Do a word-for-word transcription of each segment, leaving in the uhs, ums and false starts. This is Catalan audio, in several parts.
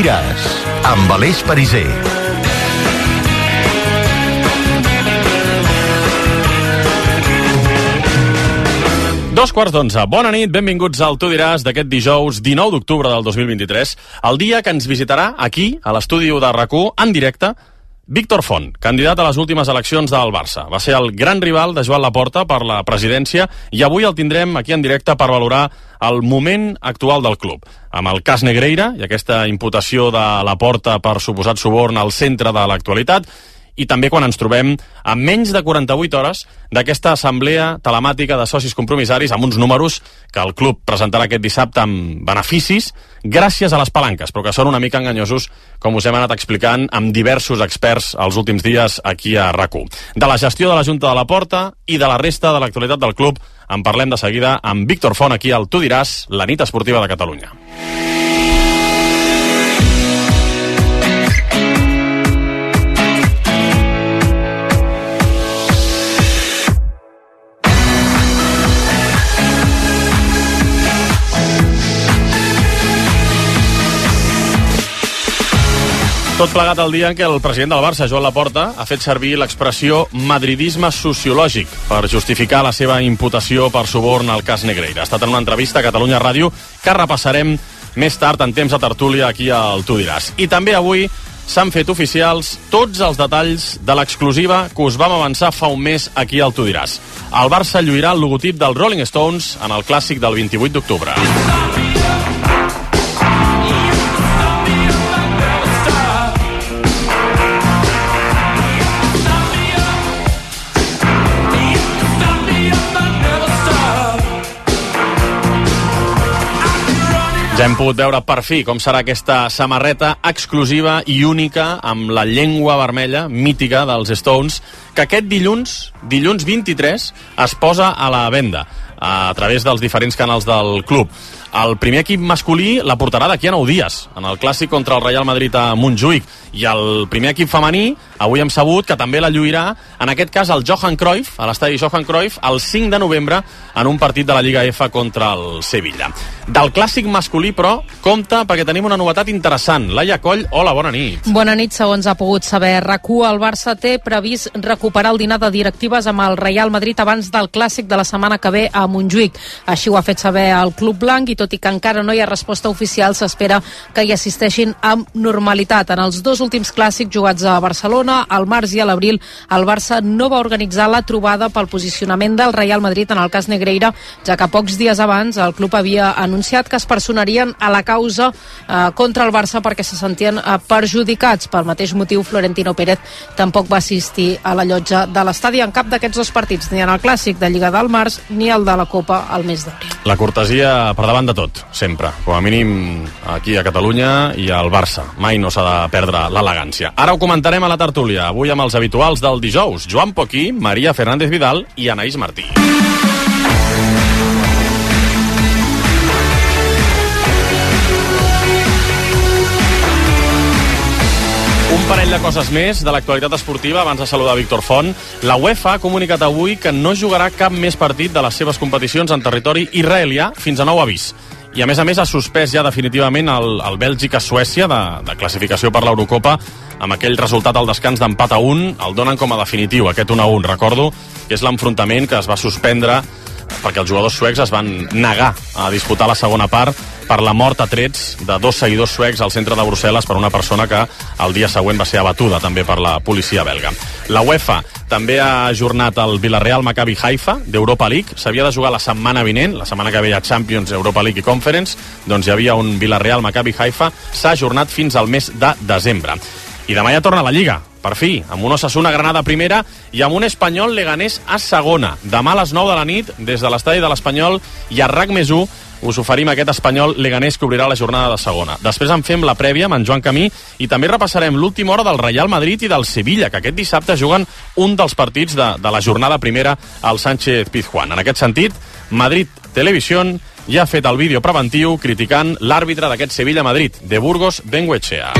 diràs, amb Aleix Pariser. Dos quarts d'onze. Bona nit, benvinguts al Tu diràs d'aquest dijous dinou d'octubre del dos mil vint-i-tres, el dia que ens visitarà aquí, a l'estudi de RAC1, en directe, Víctor Font, candidat a les últimes eleccions del Barça. Va ser el gran rival de Joan Laporta per la presidència i avui el tindrem aquí en directe per valorar el moment actual del club. Amb el cas Negreira i aquesta imputació de Laporta per suposat suborn al centre de l'actualitat, i també quan ens trobem a menys de quaranta-vuit hores d'aquesta assemblea telemàtica de socis compromissaris amb uns números que el club presentarà aquest dissabte amb beneficis gràcies a les palanques, però que són una mica enganyosos, com us hem anat explicant amb diversos experts els últims dies aquí a RAC1. De la gestió de la Junta de Laporta i de la resta de l'actualitat del club en parlem de seguida amb Víctor Font aquí al Tu diràs, la nit esportiva de Catalunya. Tot plegat el dia en què el president del Barça, Joan Laporta, ha fet servir l'expressió madridisme sociològic per justificar la seva imputació per suborn al cas Negreira. Ha estat en una entrevista a Catalunya Ràdio que repassarem més tard en temps de tertúlia aquí al Tu diràs. I també avui s'han fet oficials tots els detalls de l'exclusiva que us vam avançar fa un mes aquí al Tu diràs. El Barça lluirà el logotip dels Rolling Stones en el clàssic del vint-i-vuit d'octubre. Ja hem pogut veure per fi com serà aquesta samarreta exclusiva i única amb la llengua vermella mítica dels Stones, que aquest dilluns, dilluns vint-i-tres, es posa a la venda a través dels diferents canals del club. El primer equip masculí la portarà d'aquí a nou dies, en el clàssic contra el Real Madrid a Montjuïc, i el primer equip femení, avui hem sabut que també la lluirà, en aquest cas el Johan Cruyff, a l'estadi Johan Cruyff, el cinc de novembre, en un partit de la Lliga F contra el Sevilla. Del clàssic masculí, però, compte, perquè tenim una novetat interessant. Laia Coll, hola, bona nit. Bona nit, segons ha pogut saber RAC1, el Barça té previst recuperar el dinar de directives amb el Real Madrid abans del clàssic de la setmana que ve a Montjuïc. Així ho ha fet saber el Club Blanc i tot i que encara no hi ha resposta oficial, s'espera que hi assisteixin amb normalitat. En els dos últims clàssics jugats a Barcelona, al març i a l'abril, el Barça no va organitzar la trobada pel posicionament del Real Madrid en el cas Negreira, ja que pocs dies abans el club havia anunciat que es personarien a la causa eh, contra el Barça perquè se sentien eh, perjudicats. Pel mateix motiu, Florentino Pérez tampoc va assistir a la llotja de l'estadi en cap d'aquests dos partits, ni en el clàssic de Lliga del març ni el de la Copa al mes d'abril. La cortesia per davant de tot, sempre. Com a mínim aquí a Catalunya i al Barça. Mai no s'ha de perdre l'elegància. Ara ho comentarem a la tertúlia, avui amb els habituals del dijous, Joan Poquí, Maria Fernández Vidal i Anaïs Martí. Un parell de coses més de l'actualitat esportiva abans de saludar Víctor Font. La UEFA ha comunicat avui que no jugarà cap més partit de les seves competicions en territori israelià fins a nou avís. I a més a més ha suspès ja definitivament el, el Bèlgica-Suècia de, de classificació per l'Eurocopa amb aquell resultat al descans d'empat a un. El donen com a definitiu, aquest un a un. Recordo que és l'enfrontament que es va suspendre perquè els jugadors suecs es van negar a disputar la segona part per la mort a trets de dos seguidors suecs al centre de Brussel·les per una persona que el dia següent va ser abatuda també per la policia belga. La UEFA també ha ajornat el Villarreal Maccabi Haifa d'Europa League. S'havia de jugar la setmana vinent, la setmana que ve a Champions, Europa League i Conference, doncs hi havia un Villarreal Maccabi Haifa, s'ha ajornat fins al mes de desembre. I demà ja torna a la Lliga, per fi, amb un Osasuna Granada a primera i amb un Espanyol Leganés a segona. Demà a les nou de la nit, des de l'estadi de l'Espanyol i a RAC més u, us oferim aquest Espanyol Leganés que obrirà la jornada de segona. Després en fem la prèvia amb en Joan Camí i també repassarem l'última hora del Real Madrid i del Sevilla, que aquest dissabte juguen un dels partits de, de la jornada primera al Sánchez Pizjuán. En aquest sentit, Madrid Televisión ja ha fet el vídeo preventiu criticant l'àrbitre d'aquest Sevilla-Madrid, de Burgos Bengoechea.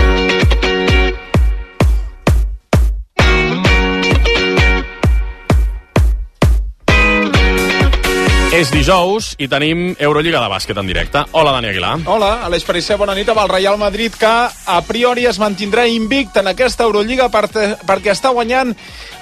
És dijous i tenim Eurolliga de bàsquet en directe. Hola, Dani Aguilar. Hola, Aleix Perisser, bona nit amb el Real Madrid, que a priori es mantindrà invicta en aquesta Eurolliga perquè està guanyant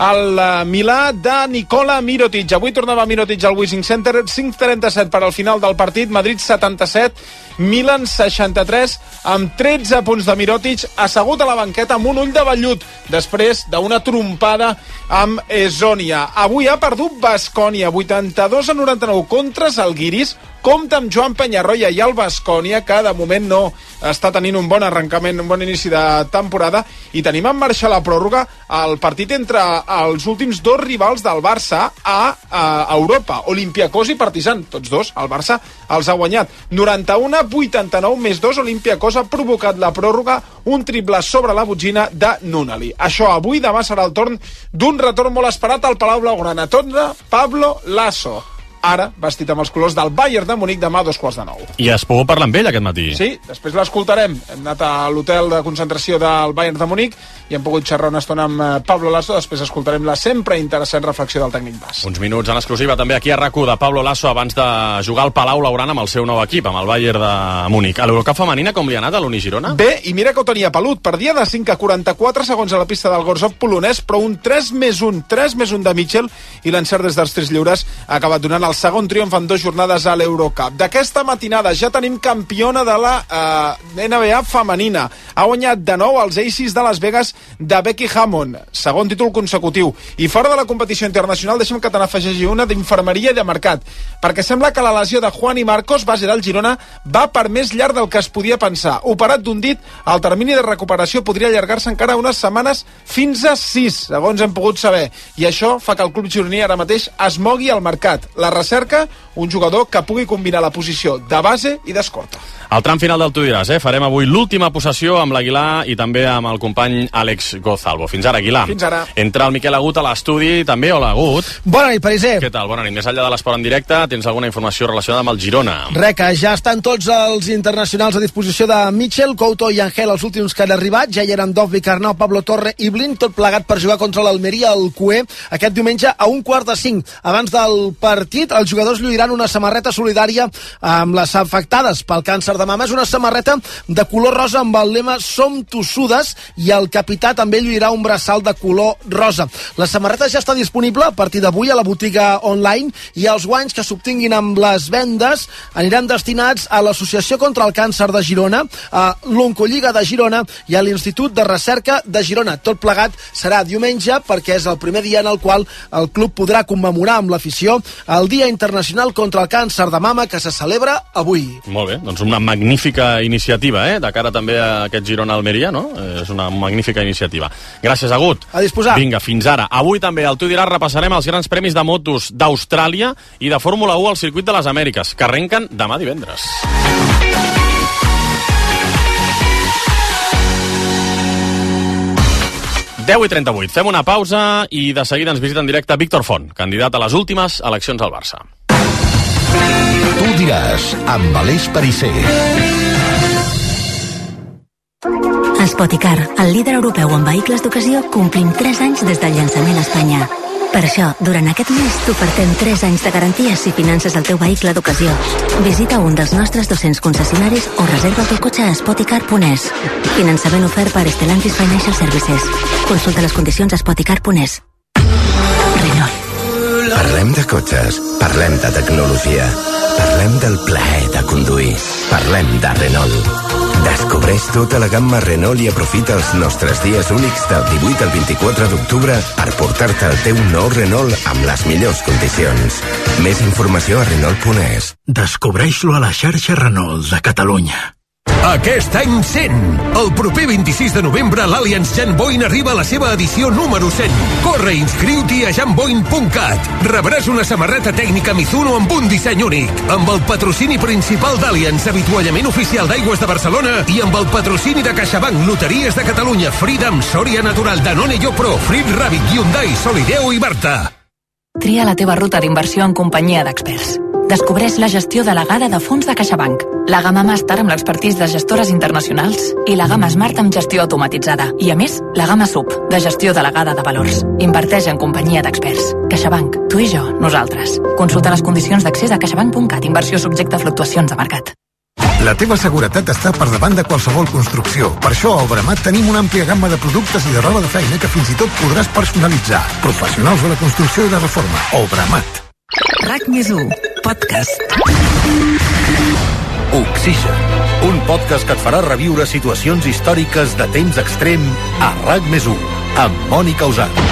el Milà de Nikola Mirotic. Avui tornava Mirotic al Wishing Center, cinc trenta-set per al final del partit, Madrid setanta-set, Milan seixanta-tres, amb tretze punts de Mirotic, assegut a la banqueta amb un ull de vellut, després d'una trompada amb Esònia. Avui ha perdut Baskonia, vuitanta-dos a noranta-nou contra Zalgiris. Compte amb Joan Peñarroya i el Baskonia, que de moment no està tenint un bon arrencament, un bon inici de temporada, i tenim en marxa la pròrroga el partit entre els últims dos rivals del Barça a, a Europa, Olympiacos i Partizan, tots dos, el Barça els ha guanyat. noranta-u a vuitanta-nou més dos, Olympiacos ha provocat la pròrroga, un triple sobre la botxina de Nunali. Això avui, demà serà el torn d'un retorn molt esperat al Palau Blaugrana. Torna Pablo Lasso, ara vestit amb els colors del Bayern de Munic, demà a dos quarts de nou. I has pogut parlar amb ell aquest matí. Sí, després l'escoltarem. Hem anat a l'hotel de concentració del Bayern de Munic i hem pogut xerrar una estona amb Pablo Lasso. Després escoltarem la sempre interessant reflexió del tècnic basc. Uns minuts en exclusiva també aquí a RAC u de Pablo Lasso abans de jugar al Palau Blaugrana amb el seu nou equip, amb el Bayern de Munic. A l'Eurocup femenina com li ha anat a l'Uni Girona? Bé, i mira que ho tenia pelut. Perdia de cinc a quaranta-quatre segons a la pista del Gorzov polonès, però un tres més un, tres més un de Mitchell i l'encert des dels tres lliures ha acabat donant el segon triomf en dues jornades a l'Eurocup. D'aquesta matinada ja tenim campiona de la eh, N B A femenina. Ha guanyat de nou els Aces de Las Vegas de Becky Hammond, segon títol consecutiu. I fora de la competició internacional, deixem que te n'afegeixi una d'infermeria i de mercat, perquè sembla que la lesió de Juan i Marcos, base del Girona, va per més llarg del que es podia pensar. Operat d'un dit, el termini de recuperació podria allargar-se encara unes setmanes fins a sis, segons hem pogut saber. I això fa que el club gironí ara mateix es mogui al mercat. La recerca, un jugador que pugui combinar la posició de base i d'escorta. Al tram final del Tu diràs, eh? Farem avui l'última possessió amb l'Aguilar i també amb el company Àlex Gozalvo. Fins ara, Aguilar. Fins ara. Entra el Miquel Agut a l'estudi, també. Hola, Agut. Bona nit, Perisser. Què tal? Bona nit. Més enllà de l'esport en directe, tens alguna informació relacionada amb el Girona? Reca, ja estan tots els internacionals a disposició de Mitchell, Couto i Angel, els últims que han arribat. Ja hi eren Dovvik, Arnau, Pablo Torre i Blin, tot plegat per jugar contra l'Almeria al Cué aquest diumenge a un quart de cinc. Abans del partit, els jugadors lluiran una samarreta solidària amb les afectades pel càncer de mama. És una samarreta de color rosa amb el lema Som tossudes i el capità també lluirà un braçal de color rosa. La samarreta ja està disponible a partir d'avui a la botiga online i els guanys que s'obtinguin amb les vendes aniran destinats a l'Associació contra el Càncer de Girona, a l'Oncolliga de Girona i a l'Institut de Recerca de Girona. Tot plegat serà diumenge perquè és el primer dia en el qual el club podrà commemorar amb l'afició el Dia Internacional contra el Càncer de Mama que se celebra avui. Molt bé, doncs una magnífica iniciativa, eh? De cara també a aquest Girona-Almeria, no? És una magnífica iniciativa. Gràcies, Agut. A disposar. Vinga, fins ara. Avui també al Tu diràs repassarem els grans premis de motos d'Austràlia i de Fórmula u al Circuit de les Amèriques, que arrenquen demà divendres. deu i trenta-vuit. Fem una pausa i de seguida ens visita en directe Víctor Font, candidat a les últimes eleccions al Barça. Tu diràs, amb Aleix Perisser. Spoticar, el líder europeu en vehicles d'ocasió, complim tres anys des del llançament a Espanya. Per això, durant aquest mes t'ofertem tres anys de garanties si finances el teu vehicle d'ocasió. Visita un dels nostres dos-cents concessionaris o reserva el teu cotxe a spoticar punt es. Finançament ofert per Stellantis Financial Services. Consulta les condicions a spoticar punt es. Renault. Parlem de cotxes, parlem de tecnologia, parlem del plaer de conduir, parlem de Renault. Descobreix tota la gamma Renault i aprofita els nostres dies únics del divuit al vint-i-quatre d'octubre per portar-te el teu nou Renault amb les millors condicions. Més informació a Renault punt es. Descobreix-lo a la xarxa Renault de Catalunya. Aquest any cent. El proper vint-i-sis de novembre l'Allianz Janboin arriba a la seva edició número cent. Corre i inscriu-t'hi a janboin punt cat. Rebràs una samarreta tècnica Mizuno amb un disseny únic, amb el patrocini principal d'Allianz, avituallament oficial d'Aigües de Barcelona i amb el patrocini de CaixaBank, Loteries de Catalunya, Freedom, Sòria Natural, Danone Yo Pro, Frit Rabbit, Hyundai, Solideo i Barta. Tria la teva ruta d'inversió en companyia d'experts. Descobreix la gestió delegada de fons de CaixaBank, la gamma Màster amb l'expertís de gestores internacionals i la gamma Smart amb gestió automatitzada. I a més, la gamma Sub, de gestió delegada de valors. Inverteix en companyia d'experts. CaixaBank, tu i jo, nosaltres. Consulta les condicions d'accés a caixabank punt cat. Inversió subjecte a fluctuacions de mercat. La teva seguretat està per davant de qualsevol construcció. Per això a Obramat tenim una àmplia gamma de productes i de roba de feina que fins i tot podràs personalitzar. Professionals de la construcció i la reforma. Obramat. RAC més u, podcast. Oxigen, un podcast que et farà reviure situacions històriques de temps extrem a RAC més u, amb Mònica Usat.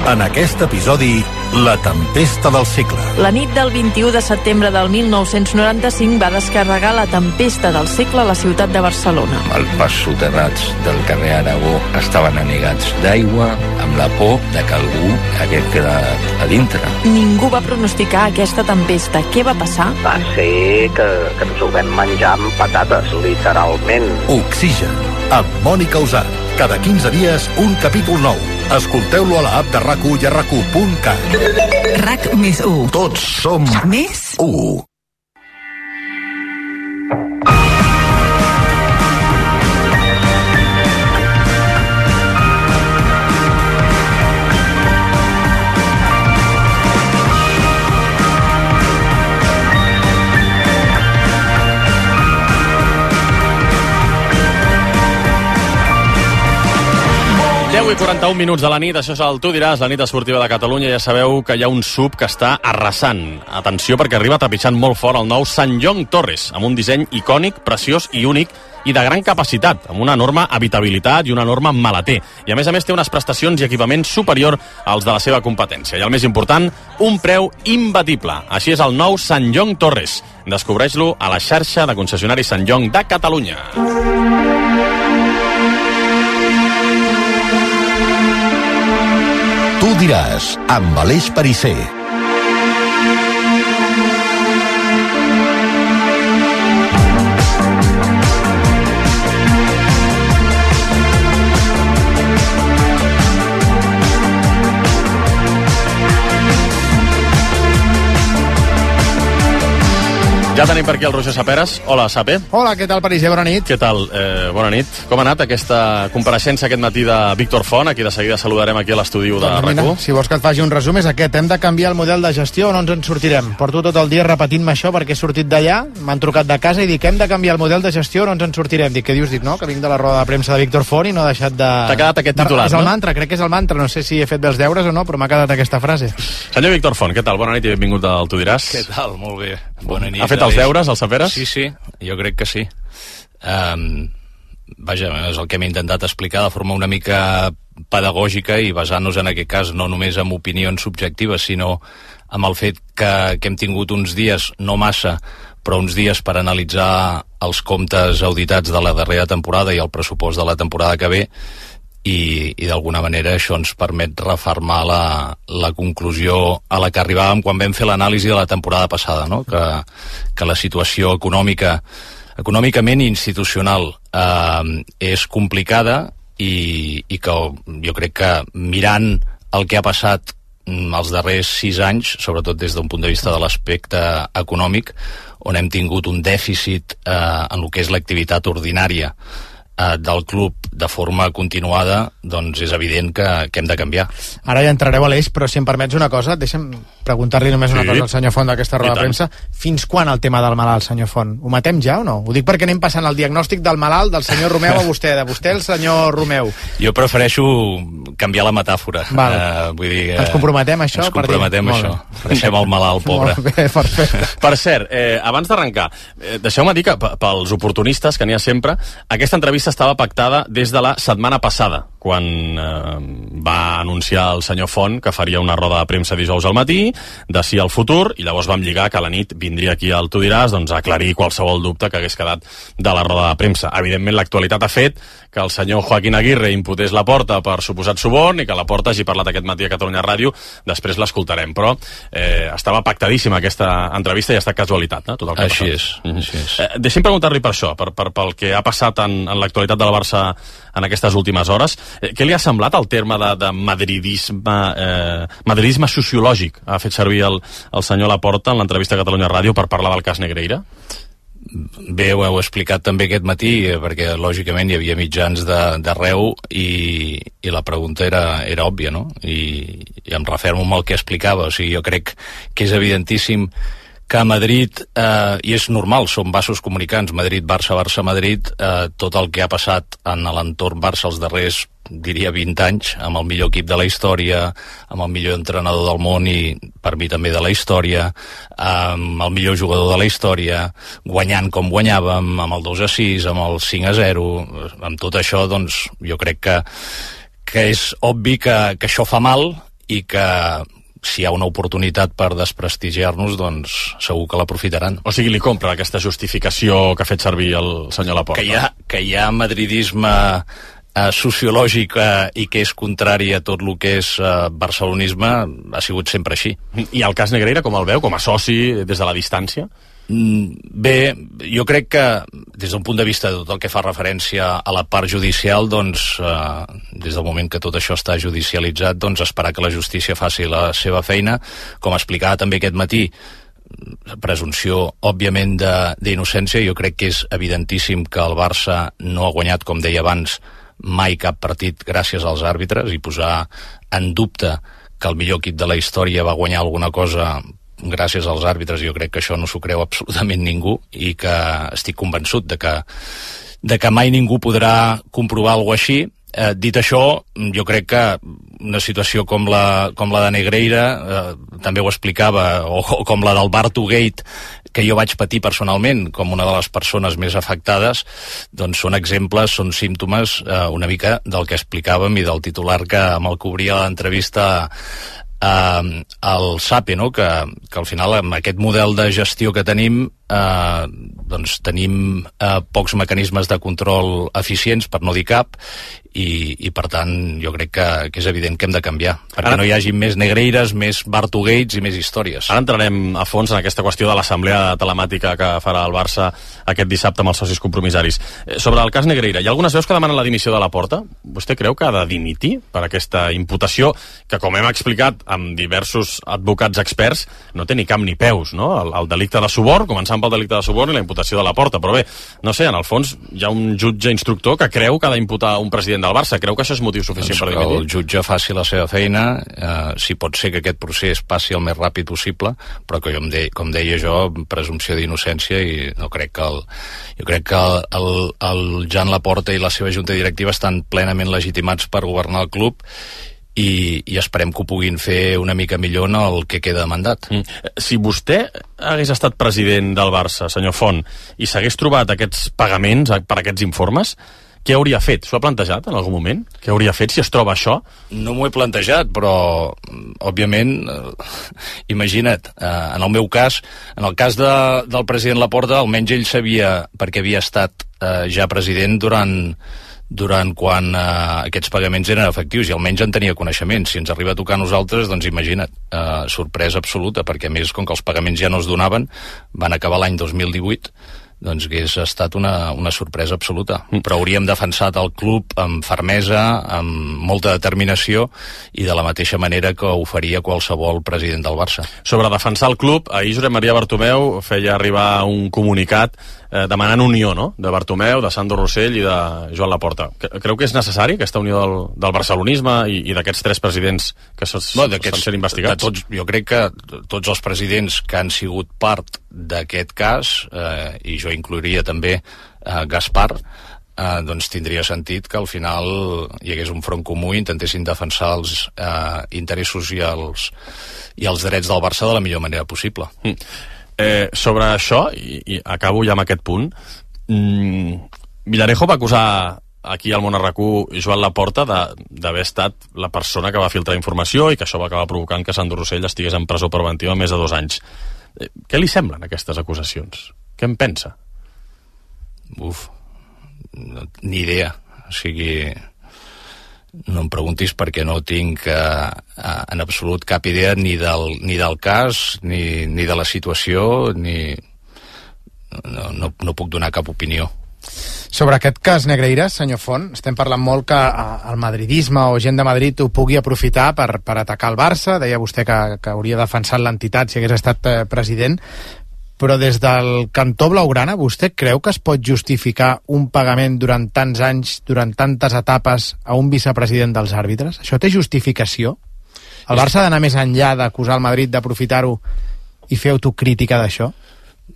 En aquest episodi, la tempesta del segle. La nit del vint-i-u de setembre del mil nou-cents noranta-cinc va descarregar la tempesta del segle a la ciutat de Barcelona. Els pas soterrats del carrer Aragó estaven anegats d'aigua, amb la por de que algú hagués quedat a dintre. Ningú va pronosticar aquesta tempesta. Què va passar? Va ser que, que ens ho vam menjar amb patates, literalment. Oxigen, amb Mònica Usat. Cada quinze dies, un capítol nou. Escolteu-lo a l'app de RAC u i a RAC u punt cat. RAC més u. Tots som més u. deu i quaranta-un minuts de la nit, això és el Tu diràs, la nit esportiva de Catalunya. Ja sabeu que hi ha un sub que està arrasant. Atenció, perquè arriba trepitjant molt fort el nou Sanyong Torres, amb un disseny icònic, preciós i únic, i de gran capacitat, amb una enorme habitabilitat i una enorme maleter. I a més a més té unes prestacions i equipaments superior als de la seva competència. I el més important, un preu imbatible. Així és el nou Sanyong Torres. Descobreix-lo a la xarxa de concessionaris Sanyong de Catalunya. Tu diràs, amb Aleix Perisser. Ja tenim per aquí el Roger Saperes. Hola, Sape. Hola, què tal, Perisser? Bona nit. Què tal? Eh, bona nit. Com ha anat aquesta compareixença aquest matí de Víctor Font? Aquí de seguida saludarem aquí a l'estudi de doncs RAC u. Si vols que et faci un resum és aquest. Hem de canviar el model de gestió o no ens en sortirem. Porto tot el dia repetint-me això perquè he sortit d'allà, m'han trucat de casa i dic hem de canviar el model de gestió o no ens en sortirem. Dic, què dius? Dic, no, que vinc de la roda de premsa de Víctor Font i no he deixat de... T'ha quedat aquest titular, de... És el no? mantra, crec que és el mantra. No sé si he fet bé els deures o no, però m'ha quedat aquesta frase. Senyor Víctor Font, què tal? Bona nit i benvingut al Tu diràs. Què tal? Molt bé. Bona nit. Ha fet els deures, el Saperes? Sí, sí, jo crec que sí. Um, vaja, és el que m'he intentat explicar de forma una mica pedagògica i basant-nos en aquest cas no només en opinions subjectives, sinó amb el fet que, que hem tingut uns dies, no massa, però uns dies per analitzar els comptes auditats de la darrera temporada i el pressupost de la temporada que ve, i, i d'alguna manera això ens permet refermar la, la conclusió a la que arribàvem quan vam fer l'anàlisi de la temporada passada, no? que, que la situació econòmica econòmicament i institucional eh, és complicada i, i que jo crec que mirant el que ha passat els darrers sis anys, sobretot des d'un punt de vista de l'aspecte econòmic, on hem tingut un dèficit eh, en el que és l'activitat ordinària del club de forma continuada, doncs és evident que, que hem de canviar. Ara ja entrareu a l'eix, però si em permets una cosa, deixa'm preguntar-li només una sí. cosa al senyor Font d'aquesta roda de premsa. Fins quan el tema del malalt, senyor Font? Ho matem ja o no? Ho dic perquè anem passant el diagnòstic del malalt del senyor Romeu a vostè, de vostè al senyor Romeu. Jo prefereixo canviar la metàfora. Val. Uh, vull dir, uh, ens comprometem a això? Ens comprometem a això. Deixem el malalt, pobre. Molt bé, perfecte. Per cert, eh, abans d'arrencar, eh, deixeu-me dir que pels oportunistes, que n'hi ha sempre, aquesta entrevista estava pactada des de la setmana passada, quan eh, va anunciar el senyor Font que faria una roda de premsa dijous al matí, de sí al futur, i llavors vam lligar que a la nit vindria aquí al Tu diràs doncs, a aclarir qualsevol dubte que hagués quedat de la roda de premsa. Evidentment, l'actualitat ha fet que el senyor Joaquín Aguirre imputés la Porta per suposat suborn i que la Porta hagi parlat aquest matí a Catalunya Ràdio. Després l'escoltarem, però eh, estava pactadíssima aquesta entrevista i ha estat casualitat, no? Tot el que així ha és, mm-hmm. així és. Eh, deixi'm preguntar-li per això, per, per, pel que ha passat en, en l'actualitat del Barça en aquestes últimes hores. Eh, què li ha semblat el terme de, de madridisme, eh, madridisme sociològic? Ha fet servir el, el senyor Laporta en l'entrevista a Catalunya Ràdio per parlar del cas Negreira? Bé, ho heu explicat també aquest matí, perquè lògicament hi havia mitjans d'arreu i, i la pregunta era, era òbvia, no? I, i em refermo amb el que explicava. O sigui, jo crec que és evidentíssim que a Madrid, eh, i és normal, són vasos comunicants, Madrid-Barça, Barça-Madrid, eh, tot el que ha passat en l'entorn Barça els darrers, diria, vint anys, amb el millor equip de la història, amb el millor entrenador del món i, per mi, també de la història, amb el millor jugador de la història, guanyant com guanyàvem, amb el dos a sis, amb el cinc a zero, amb tot això, doncs, jo crec que, que és obvi que, que això fa mal i que si hi ha una oportunitat per desprestigiar-nos, doncs segur que l'aprofitaran. O sigui, li compra aquesta justificació que ha fet servir el senyor Laporta. Que hi ha, que hi ha madridisme eh, sociològic eh, i que és contrari a tot el que és eh, barcelonisme, ha sigut sempre així. I el cas Negreira, com el veu? Com a soci, des de la distància? Bé, jo crec que des d'un punt de vista de tot el que fa referència a la part judicial, doncs eh, des del moment que tot això està judicialitzat, doncs esperar que la justícia faci la seva feina. Com explicava també aquest matí, presumpció òbviament d'innocència. Jo crec que és evidentíssim que el Barça no ha guanyat, com deia abans, mai cap partit gràcies als àrbitres, i posar en dubte que el millor equip de la història va guanyar alguna cosa gràcies als àrbitres, jo crec que això no s'ho creu absolutament ningú, i que estic convençut de que, de que mai ningú podrà comprovar alguna cosa així. Eh, dit això, jo crec que una situació com la, com la de Negreira, eh, també ho explicava, o, o com la del Bartogate, que jo vaig patir personalment com una de les persones més afectades, doncs són exemples, són símptomes eh, una mica del que explicàvem i del titular que amb el cobria l'entrevista Uh, el SAPE, no? que, que al final amb aquest model de gestió que tenim uh, doncs tenim uh, pocs mecanismes de control eficients, per no dir cap, i, i per tant jo crec que, que és evident que hem de canviar perquè ara no hi hagi més Negreires, més Bartogates i més històries. Ara entrarem a fons en aquesta qüestió de l'assemblea telemàtica que farà el Barça aquest dissabte amb els socis compromissaris. Sobre el cas Negreira, hi ha algunes veus que demanen la dimissió de Laporta. Vostè creu que ha de dimitir per aquesta imputació que, com hem explicat amb diversos advocats experts, no té ni cap ni peus, no? El, el delicte de suborn, començant pel delicte de suborn i la imputació de Laporta. Però bé, no sé, en el fons hi ha un jutge instructor que creu que ha d'imputar un president del Barça. Creu que això és motiu suficient doncs per dimitir? El jutge faci la seva feina, eh, si pot ser que aquest procés passi el més ràpid possible, però que jo, em de, com deia jo, presumpció d'innocència, i no crec que el, jo crec que el, el, el Joan Laporta i la seva junta directiva estan plenament legitimats per governar el club, i, i esperem que ho puguin fer una mica millor en el que queda de mandat. Mm. Si vostè hagués estat president del Barça, senyor Font, i s'hagués trobat aquests pagaments per aquests informes, què hauria fet? S'ho ha plantejat en algun moment? Què hauria fet si es troba això? No m'ho he plantejat, però òbviament, eh, imagina't, eh, en el meu cas, en el cas de, del president Laporta, almenys ell sabia, perquè havia estat eh, ja president durant durant quan eh, aquests pagaments eren efectius, i almenys en tenia coneixement. Si ens arriba a tocar a nosaltres, doncs imagina't, eh, sorpresa absoluta, perquè a més, com que els pagaments ja no es donaven, van acabar l'any dos mil divuit, doncs hagués estat una, una sorpresa absoluta. Però hauríem defensat el club amb fermesa, amb molta determinació, i de la mateixa manera que ho faria qualsevol president del Barça. Sobre defensar el club, ahir Josep Maria Bartomeu feia arribar un comunicat eh, demanant unió, no?, de Bartomeu, de Sandro Rossell i de Joan Laporta. Creu que és necessari aquesta unió del, del barcelonisme i, i d'aquests tres presidents que estan no, sent investigats? Tots, jo crec que tots els presidents que han sigut part d'aquest cas, eh, i jo inclouria també eh, Gaspar, eh, doncs tindria sentit que al final hi hagués un front comú i intentessin defensar els eh, interessos i els, i els drets del Barça de la millor manera possible. Mm. Eh, sobre això, i, i acabo ja amb aquest punt, mm, Villarejo va acusar aquí al Món R Q Joan Laporta d'haver estat la persona que va filtrar informació i que això va acabar provocant que Sandro Rossell estigués en presó preventiva més de dos anys. Eh, què li semblen aquestes acusacions? Què en pensa? Uf, no, ni idea. O sigui, no em preguntis perquè no tinc eh, en absolut cap idea ni del, ni del cas, ni, ni de la situació, ni... No, no, no puc donar cap opinió. Sobre aquest cas Negreira, senyor Font, estem parlant molt que el madridisme o gent de Madrid ho pugui aprofitar per, per atacar el Barça. Deia vostè que, que hauria defensat l'entitat si hagués estat eh, president, però des del cantó blaugrana vostè creu que es pot justificar un pagament durant tants anys, durant tantes etapes a un vicepresident dels àrbitres? Això té justificació? El Barça ha d'anar més enllà d'acusar el Madrid d'aprofitar-ho i fer autocrítica d'això?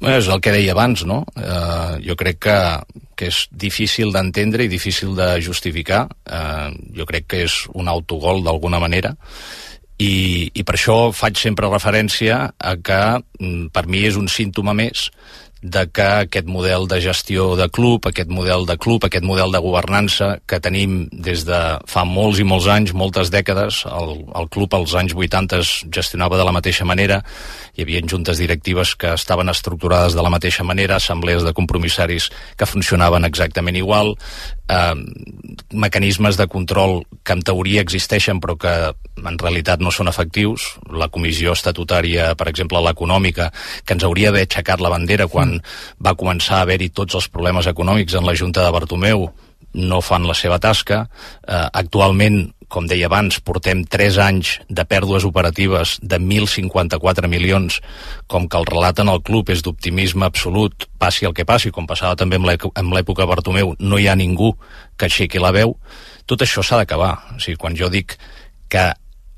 És el que deia abans, no? Uh, jo crec que, que és difícil d'entendre i difícil de justificar. Uh, jo crec que és un autogol d'alguna manera i, i per això faig sempre referència a que per mi és un símptoma més de que aquest model de gestió de club, aquest model de club, aquest model de governança que tenim des de fa molts i molts anys, moltes dècades, el, el club als anys vuitanta es gestionava de la mateixa manera, hi havia juntes directives que estaven estructurades de la mateixa manera, assemblees de compromissaris que funcionaven exactament igual, eh, mecanismes de control que en teoria existeixen però que en realitat no són efectius, la comissió estatutària, per exemple, l'econòmica, que ens hauria d'haver aixecat la bandera quan va començar a haver-hi tots els problemes econòmics en la Junta de Bartomeu, no fan la seva tasca. Eh, actualment, com deia abans, portem tres anys de pèrdues operatives de mil cinquanta-quatre milions, com que el relat en el club és d'optimisme absolut, passi el que passi, com passava també en l'època Bartomeu, no hi ha ningú que aixequi la veu. Tot això s'ha d'acabar. O sigui, quan jo dic que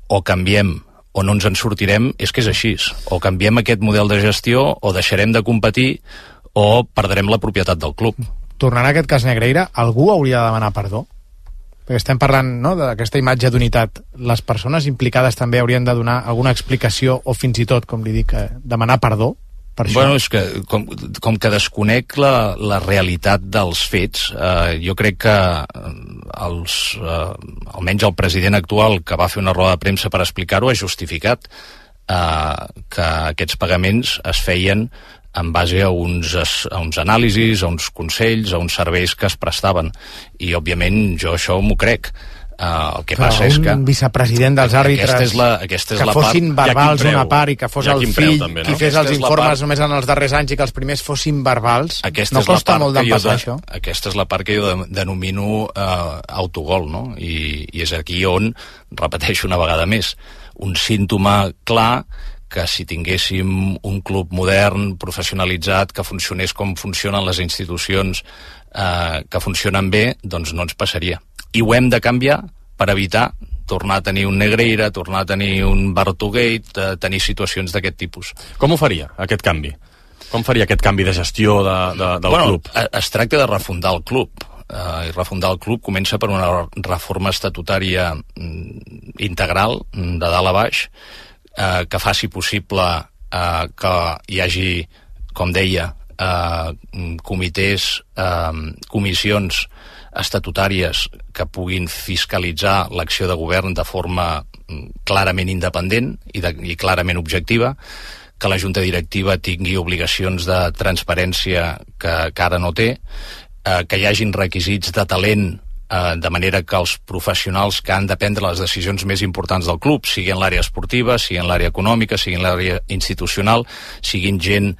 o canviem o no ens en sortirem, és que és així. O canviem aquest model de gestió, o deixarem de competir, o perdrem la propietat del club. Tornant a aquest cas Negreira, algú hauria de demanar perdó? Perquè estem parlant, no?, d'aquesta imatge d'unitat. Les persones implicades també haurien de donar alguna explicació, o fins i tot, com li dic, demanar perdó? Per això. Bueno, és que com, com que desconec la, la realitat dels fets, eh, jo crec que els, eh, almenys el president actual, que va fer una roda de premsa per explicar-ho, ha justificat eh, que aquests pagaments es feien en base a uns, a uns anàlisis, a uns consells, a uns serveis que es prestaven. I, òbviament, jo això m'ho crec. Uh, el que però passa és que un vicepresident dels àrbitres aquesta és la, aquesta és que la fossin part, verbals una part i que fos el fill també, no? qui fes aquesta els informes part... només en els darrers anys i que els primers fossin verbals, aquesta no costa molt d'empassar de, això. Aquesta és la part que jo denomino uh, autogol, no? I, i és aquí on, repeteixo una vegada més, un símptoma clar que si tinguéssim un club modern, professionalitzat, que funcionés com funcionen les institucions eh, que funcionen bé, doncs no ens passaria. I ho hem de canviar per evitar tornar a tenir un Negreira, tornar a tenir un Bartogate, eh, tenir situacions d'aquest tipus. Com ho faria, aquest canvi? Com faria aquest canvi de gestió de, de, del bueno, club? Es tracta de refundar el club. Uh, i refundar el club comença per una reforma estatutària mm, integral, de dalt a baix, Uh, que faci possible uh, que hi hagi, com deia, uh, comitès, uh, comissions estatutàries que puguin fiscalitzar l'acció de govern de forma clarament independent i, de, i clarament objectiva, que la Junta Directiva tingui obligacions de transparència que, que ara no té, uh, que hi hagin requisits de talent, Uh, de manera que els professionals que han de prendre les decisions més importants del club, sigui en l'àrea esportiva, sigui en l'àrea econòmica, sigui en l'àrea institucional, siguin gent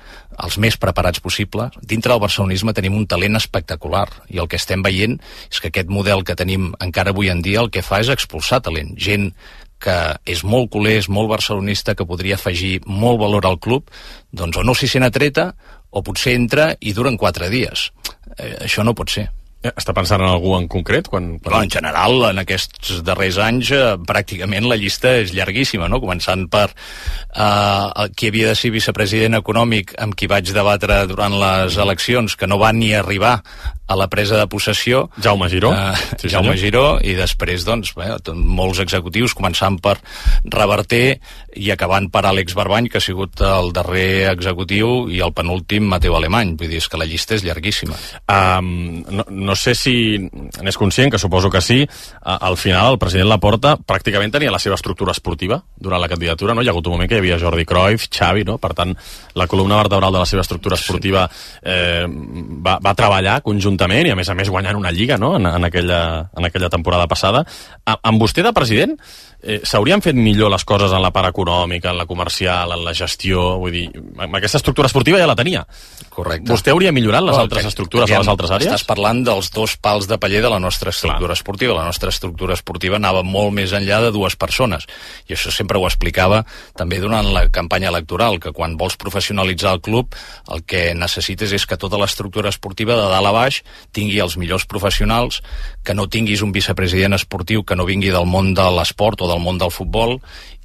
els més preparats possible. Dintre del barcelonisme tenim un talent espectacular i el que estem veient és que aquest model que tenim encara avui en dia el que fa és expulsar talent. Gent que és molt culer, és molt barcelonista, que podria afegir molt valor al club, doncs o no s'hi sent atreta o potser entra i duren quatre dies. Eh, això no pot ser. Està pensant en algú en concret? Quan, quan... No, en general, en aquests darrers anys, eh, pràcticament la llista és llarguíssima, no? Començant per eh, qui havia de ser vicepresident econòmic amb qui vaig debatre durant les eleccions, que no va ni arribar a la presa de possessió. Jaume Giró. Eh, sí, Jaume senyor. Giró, i després, doncs, bé, molts executius, començant per Reverter i acabant per Àlex Barbany, que ha sigut el darrer executiu, i el penúltim, Mateu Alemany. Vull dir, és que la llista és llarguíssima. Um, no, no no sé si n'és conscient, que suposo que sí, al final el president Laporta pràcticament tenia la seva estructura esportiva durant la candidatura, no? Hi ha hagut un moment que hi havia Jordi Cruyff, Xavi, no? Per tant, la columna vertebral de la seva estructura esportiva eh, va, va treballar conjuntament i a més a més guanyant una lliga, no? en, en, aquella, en aquella temporada passada. A, amb vostè de president eh, s'haurien fet millor les coses en la part econòmica, en la comercial, en la gestió, vull dir, amb aquesta estructura esportiva ja la tenia. Correcte. Vostè hauria millorat les oh, altres estructures a les altres àrees? Estàs parlant dels dos pals de paller de la nostra estructura Clar. esportiva. La nostra estructura esportiva anava molt més enllà de dues persones. I això sempre ho explicava també durant la campanya electoral, que quan vols professionalitzar el club, el que necessites és que tota l'estructura esportiva de dalt a baix tingui els millors professionals, que no tinguis un vicepresident esportiu que no vingui del món de l'esport o del món del futbol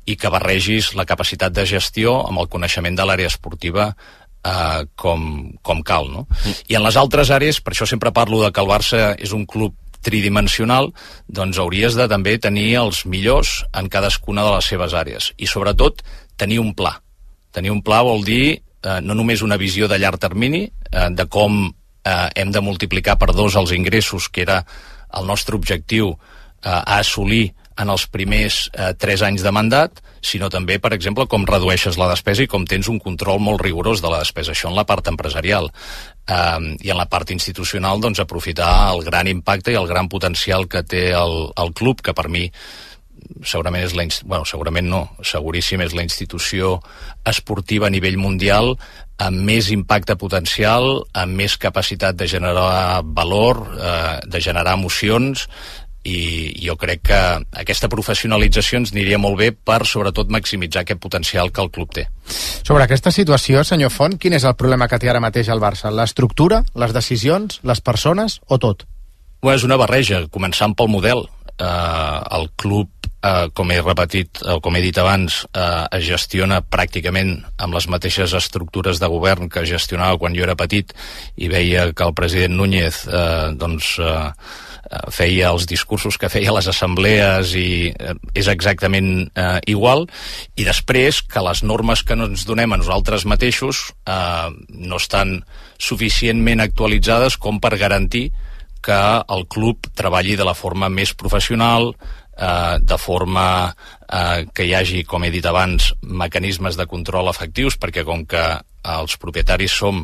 i que barregis la capacitat de gestió amb el coneixement de l'àrea esportiva Uh, com, com cal, no? Mm. I en les altres àrees, per això sempre parlo de que el Barça és un club tridimensional, doncs hauries de també tenir els millors en cadascuna de les seves àrees i sobretot tenir un pla. Tenir un pla vol dir uh, no només una visió de llarg termini uh, de com uh, hem de multiplicar per dos els ingressos, que era el nostre objectiu uh, a assolir en els primers eh, tres anys de mandat, sinó també, per exemple, com redueixes la despesa i com tens un control molt rigorós de la despesa. Això en la part empresarial. Eh, I en la part institucional, doncs, aprofitar el gran impacte i el gran potencial que té el, el club, que per mi segurament és la... Bueno, segurament no, seguríssim és la institució esportiva a nivell mundial amb més impacte potencial, amb més capacitat de generar valor, eh, de generar emocions, i jo crec que aquesta professionalització ens aniria molt bé per, sobretot, maximitzar aquest potencial que el club té. Sobre aquesta situació, senyor Font, quin és el problema que té ara mateix el Barça? L'estructura, les decisions, les persones o tot? Bé, és una barreja, començant pel model. Eh, el club, eh, com he repetit, o com he dit abans, eh, es gestiona pràcticament amb les mateixes estructures de govern que gestionava quan jo era petit i veia que el president Núñez eh, doncs... Eh, feia els discursos que feia a les assemblees i eh, és exactament eh, igual, i després que les normes que ens donem a nosaltres mateixos eh, no estan suficientment actualitzades com per garantir que el club treballi de la forma més professional, eh, de forma eh, que hi hagi, com he dit abans, mecanismes de control efectius, perquè com que els propietaris som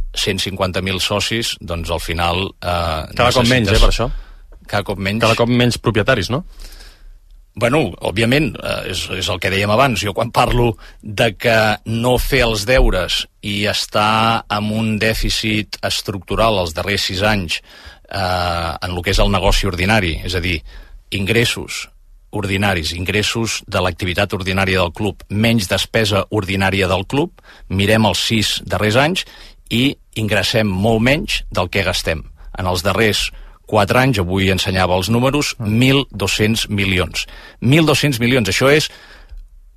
cent cinquanta mil socis, doncs al final... Eh, cada cop menys, eh, per això? Cada cop menys. Cada cop menys propietaris, no? Bueno, òbviament, eh, és, és el que dèiem abans. Jo quan parlo de que no fer els deures i estar amb un dèficit estructural els darrers sis anys eh, en el que és el negoci ordinari, és a dir, ingressos ordinaris, ingressos de l'activitat ordinària del club, menys despesa ordinària del club, mirem els sis darrers anys i ingressem molt menys del que gastem. En els darrers quatre anys, avui ensenyava els números, mil dos-cents milions. mil dos-cents milions, això és...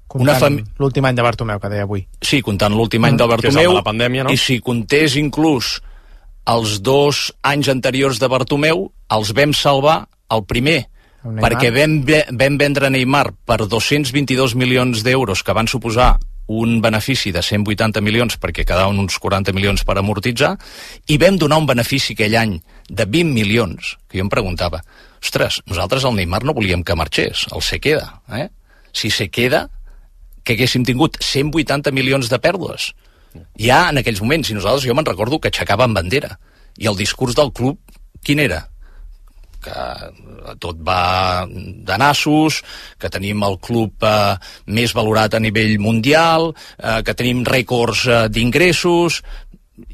Comptant l'últim any de Bartomeu, que deia avui. Sí, comptant l'últim any de Bartomeu. Que és el de la pandèmia, no? I si comptés inclús els dos anys anteriors de Bartomeu, els vam salvar el primer, perquè vam, vam vendre Neymar per dos-cents vint-i-dos milions d'euros, que van suposar un benefici de cent vuitanta milions perquè quedaven uns quaranta milions per amortitzar, i vam donar un benefici aquell any de vint milions, que jo em preguntava, ostres, nosaltres el Neymar no volíem que marxés, el se queda, eh? Si se queda, que haguéssim tingut cent vuitanta milions de pèrdues. Ja en aquells moments, i nosaltres, jo me'n recordo que aixecaven bandera, i el discurs del club, quin era? Que tot va de nassos, que tenim el club eh, més valorat a nivell mundial, eh, que tenim rècords eh, d'ingressos,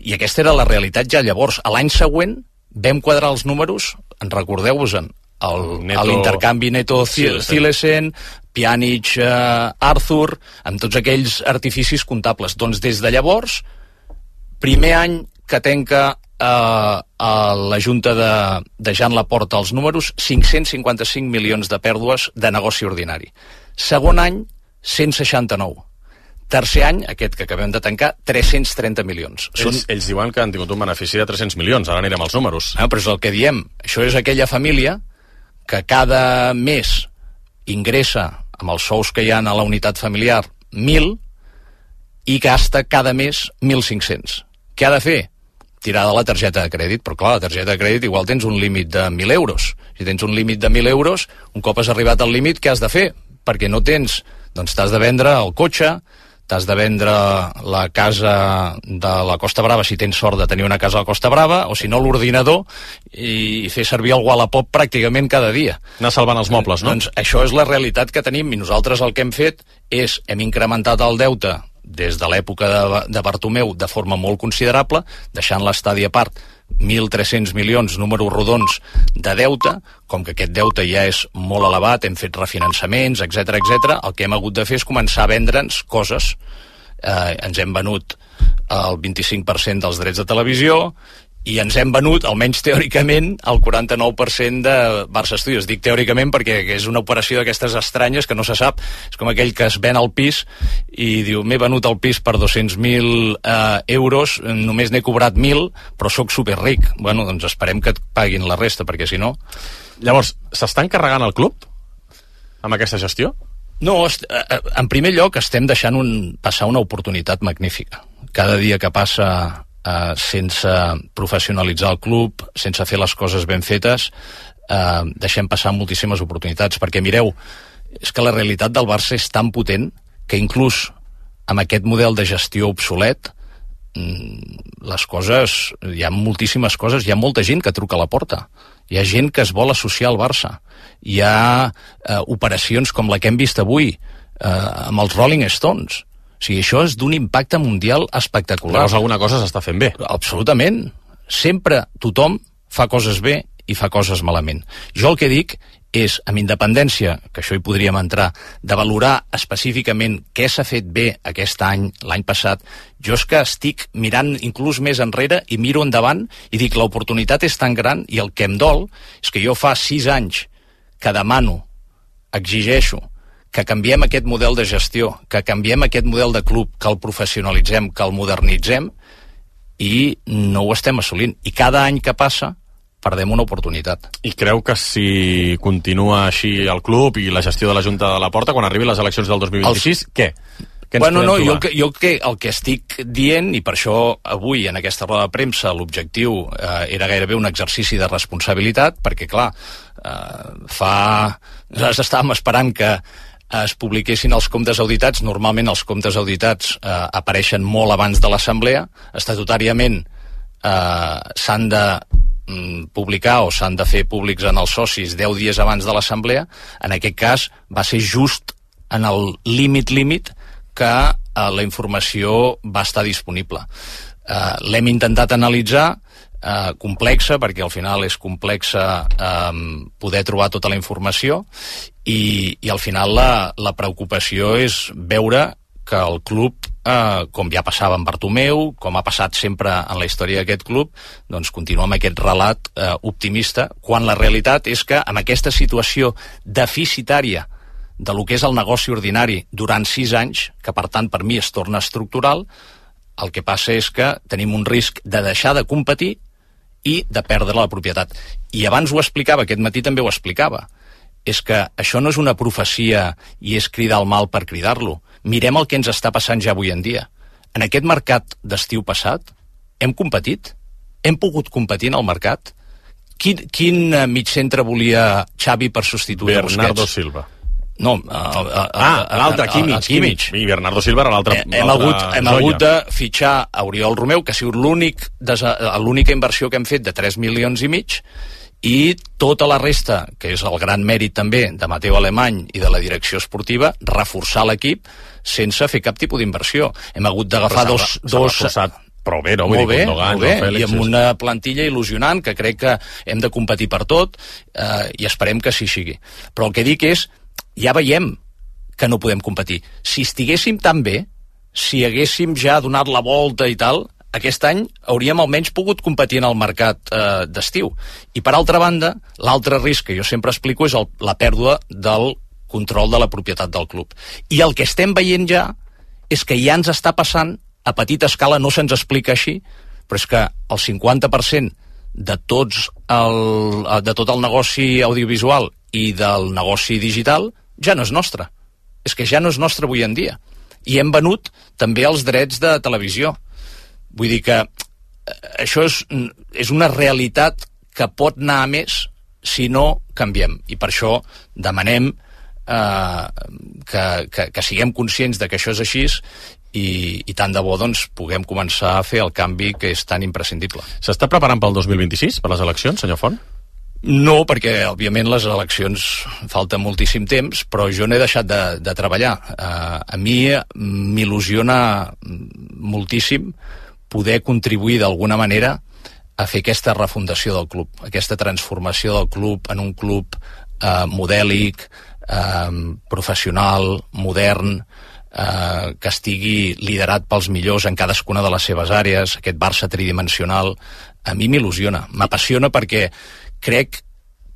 i aquesta era la realitat ja llavors. A l'any següent vam quadrar els números, en recordeu-vos-en, l'intercanvi Neto-Zilesen, Pjanic, eh, Arthur, amb tots aquells artificis comptables. Doncs des de llavors, primer any que tenca Uh, a la Junta de, de Jean Laporta els números, cinc-cents cinquanta-cinc milions de pèrdues de negoci ordinari. Segon any, cent seixanta-nou. Tercer any, aquest que acabem de tancar, tres-cents trenta milions. Ells, Són... ells diuen que han tingut un benefici de tres-cents milions, ara anirem als números. No, però és el que diem. Això és aquella família que cada mes ingressa, amb els sous que hi ha a la unitat familiar, mil, i gasta cada mes mil cinc-cents. Què ha de fer? tirar de la targeta de crèdit, però clar, la targeta de crèdit igual tens un límit de mil euros. Si tens un límit de mil euros, un cop has arribat al límit, què has de fer? Perquè no tens, doncs t'has de vendre el cotxe, t'has de vendre la casa de la Costa Brava, si tens sort de tenir una casa a la Costa Brava, o si no l'ordinador, i fer servir el Wallapop pràcticament cada dia. Anar salvant els mobles, no? Doncs això és la realitat que tenim, i nosaltres el que hem fet és, hem incrementat el deute des de l'època de, de Bartomeu de forma molt considerable, deixant l'estadi a part, mil tres-cents milions, números rodons, de deute. Com que aquest deute ja és molt elevat, hem fet refinançaments, etcètera, etcètera, el que hem hagut de fer és començar a vendre'ns coses. Eh, ens hem venut el vint-i-cinc per cent dels drets de televisió, i ens hem venut, almenys teòricament, el quaranta-nou per cent de Barça Studios. Dic teòricament perquè és una operació d'aquestes estranyes que no se sap. És com aquell que es ven al pis i diu, m'he venut el pis per dos-cents mil eh, euros, només n'he cobrat mil, però sóc superric. Bueno, doncs esperem que et paguin la resta, perquè si no... Llavors, s'està encarregant el club amb aquesta gestió? No, en primer lloc estem deixant un, passar una oportunitat magnífica. Cada dia que passa Uh, sense professionalitzar el club, sense fer les coses ben fetes, uh, deixem passar moltíssimes oportunitats, perquè mireu, és que la realitat del Barça és tan potent que inclús amb aquest model de gestió obsolet les coses, hi ha moltíssimes coses, hi ha molta gent que truca a la porta, hi ha gent que es vol associar al Barça, hi ha uh, operacions com la que hem vist avui uh, amb els Rolling Stones. O sigui, això és d'un impacte mundial espectacular. Llavors alguna cosa s'està fent bé. Absolutament. Sempre tothom fa coses bé i fa coses malament. Jo el que dic és, amb independència, que això hi podríem entrar, de valorar específicament què s'ha fet bé aquest any, l'any passat, jo és que estic mirant inclús més enrere i miro endavant i dic, l'oportunitat és tan gran, i el que em dol és que jo fa sis anys que demano, exigeixo, que canviem aquest model de gestió, que canviem aquest model de club, que el professionalitzem, que el modernitzem, i no ho estem assolint. I cada any que passa perdem una oportunitat. I creu que si continua així el club i la gestió de la Junta de la Porta, quan arribin les eleccions del dos mil vint-i-sis, el... què? Què ens bueno, no, podem jo, que, jo que, el que estic dient, i per això avui en aquesta roda de premsa l'objectiu eh, era gairebé un exercici de responsabilitat, perquè clar, eh, fa... nosaltres estàvem esperant que es publiquessin els comptes auditats. Normalment els comptes auditats eh, apareixen molt abans de l'assemblea. Estatutàriament eh, s'han de mm, publicar o s'han de fer públics en els socis deu dies abans de l'assemblea. En aquest cas va ser just en el límit límit que eh, la informació va estar disponible. Eh, l'hem intentat analitzar, Uh, complexa, perquè al final és complexa um, poder trobar tota la informació, i, i al final la, la preocupació és veure que el club, uh, com ja passava amb Bartomeu, com ha passat sempre en la història d'aquest club, doncs continua amb aquest relat uh, optimista, quan la realitat és que amb aquesta situació deficitària de lo que és el negoci ordinari durant sis anys, que per tant per mi es torna estructural, el que passa és que tenim un risc de deixar de competir i de perdre la propietat. I abans ho explicava, aquest matí també ho explicava, és que això no és una profecia i és cridar el mal per cridar-lo. Mirem el que ens està passant ja avui en dia. En aquest mercat d'estiu passat hem competit? Hem pogut competir en el mercat? Quin, quin mig centre volia Xavi per substituir Busquets? Bernardo Silva. No, a, a, a, ah, l'altre, Kimmich, Kimmich. I Bernardo Silva era l'altre. Hem, hagut, hem hagut de fitxar a Oriol Romeu, que ha sigut l'únic l'única inversió que hem fet de tres milions i mig, i tota la resta, que és el gran mèrit també de Mateu Alemany i de la direcció esportiva, reforçar l'equip sense fer cap tipus d'inversió. Hem hagut d'agafar dos... S'ha reforçat prou bé, no? Molt bé, molt bé, i amb una plantilla il·lusionant, que crec que hem de competir per tot, eh, i esperem que així sigui. Però el que dic és, ja veiem que no podem competir. Si estiguéssim tan bé, si haguéssim ja donat la volta i tal, aquest any hauríem almenys pogut competir en el mercat eh, d'estiu. I per altra banda, l'altre risc que jo sempre explico és el, la pèrdua del control de la propietat del club. I el que estem veient ja és que ja ens està passant a petita escala, no se'ns explica així, però és que el cinquanta per cent de, tots el, de tot el negoci audiovisual i del negoci digital ja no és nostre. És que ja no és nostre avui en dia. I hem venut també els drets de televisió. Vull dir que això és, és una realitat que pot anar a més si no canviem. I per això demanem eh, que, que, que siguem conscients de que això és així i, i tant de bo doncs, puguem començar a fer el canvi que és tan imprescindible. S'està preparant pel dos mil vint-i-sis, per les eleccions, senyor Font? No, perquè, òbviament, les eleccions falta moltíssim temps, però jo no he deixat de, de treballar. Uh, a mi m'il·lusiona moltíssim poder contribuir d'alguna manera a fer aquesta refundació del club, aquesta transformació del club en un club uh, modèlic, uh, professional, modern, uh, que estigui liderat pels millors en cadascuna de les seves àrees, aquest Barça tridimensional. A mi m'il·lusiona, m'apassiona perquè crec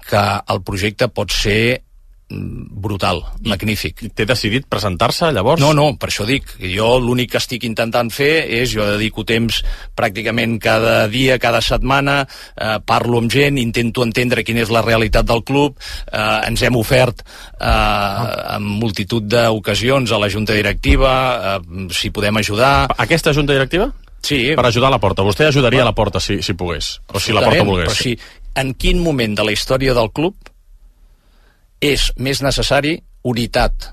que el projecte pot ser brutal, I, magnífic. I té decidit presentar-se, llavors? No, no, per això dic. Jo l'únic que estic intentant fer és, jo dedico temps pràcticament cada dia, cada setmana, eh, parlo amb gent, intento entendre quina és la realitat del club, eh, ens hem ofert eh, en multitud d'ocasions a la junta directiva, eh, si podem ajudar. Aquesta junta directiva? Sí. Per ajudar a la Porta. Vostè ajudaria a la Porta si, si pogués, o si la Porta volgués. Però sí, en quin moment de la història del club és més necessari unitat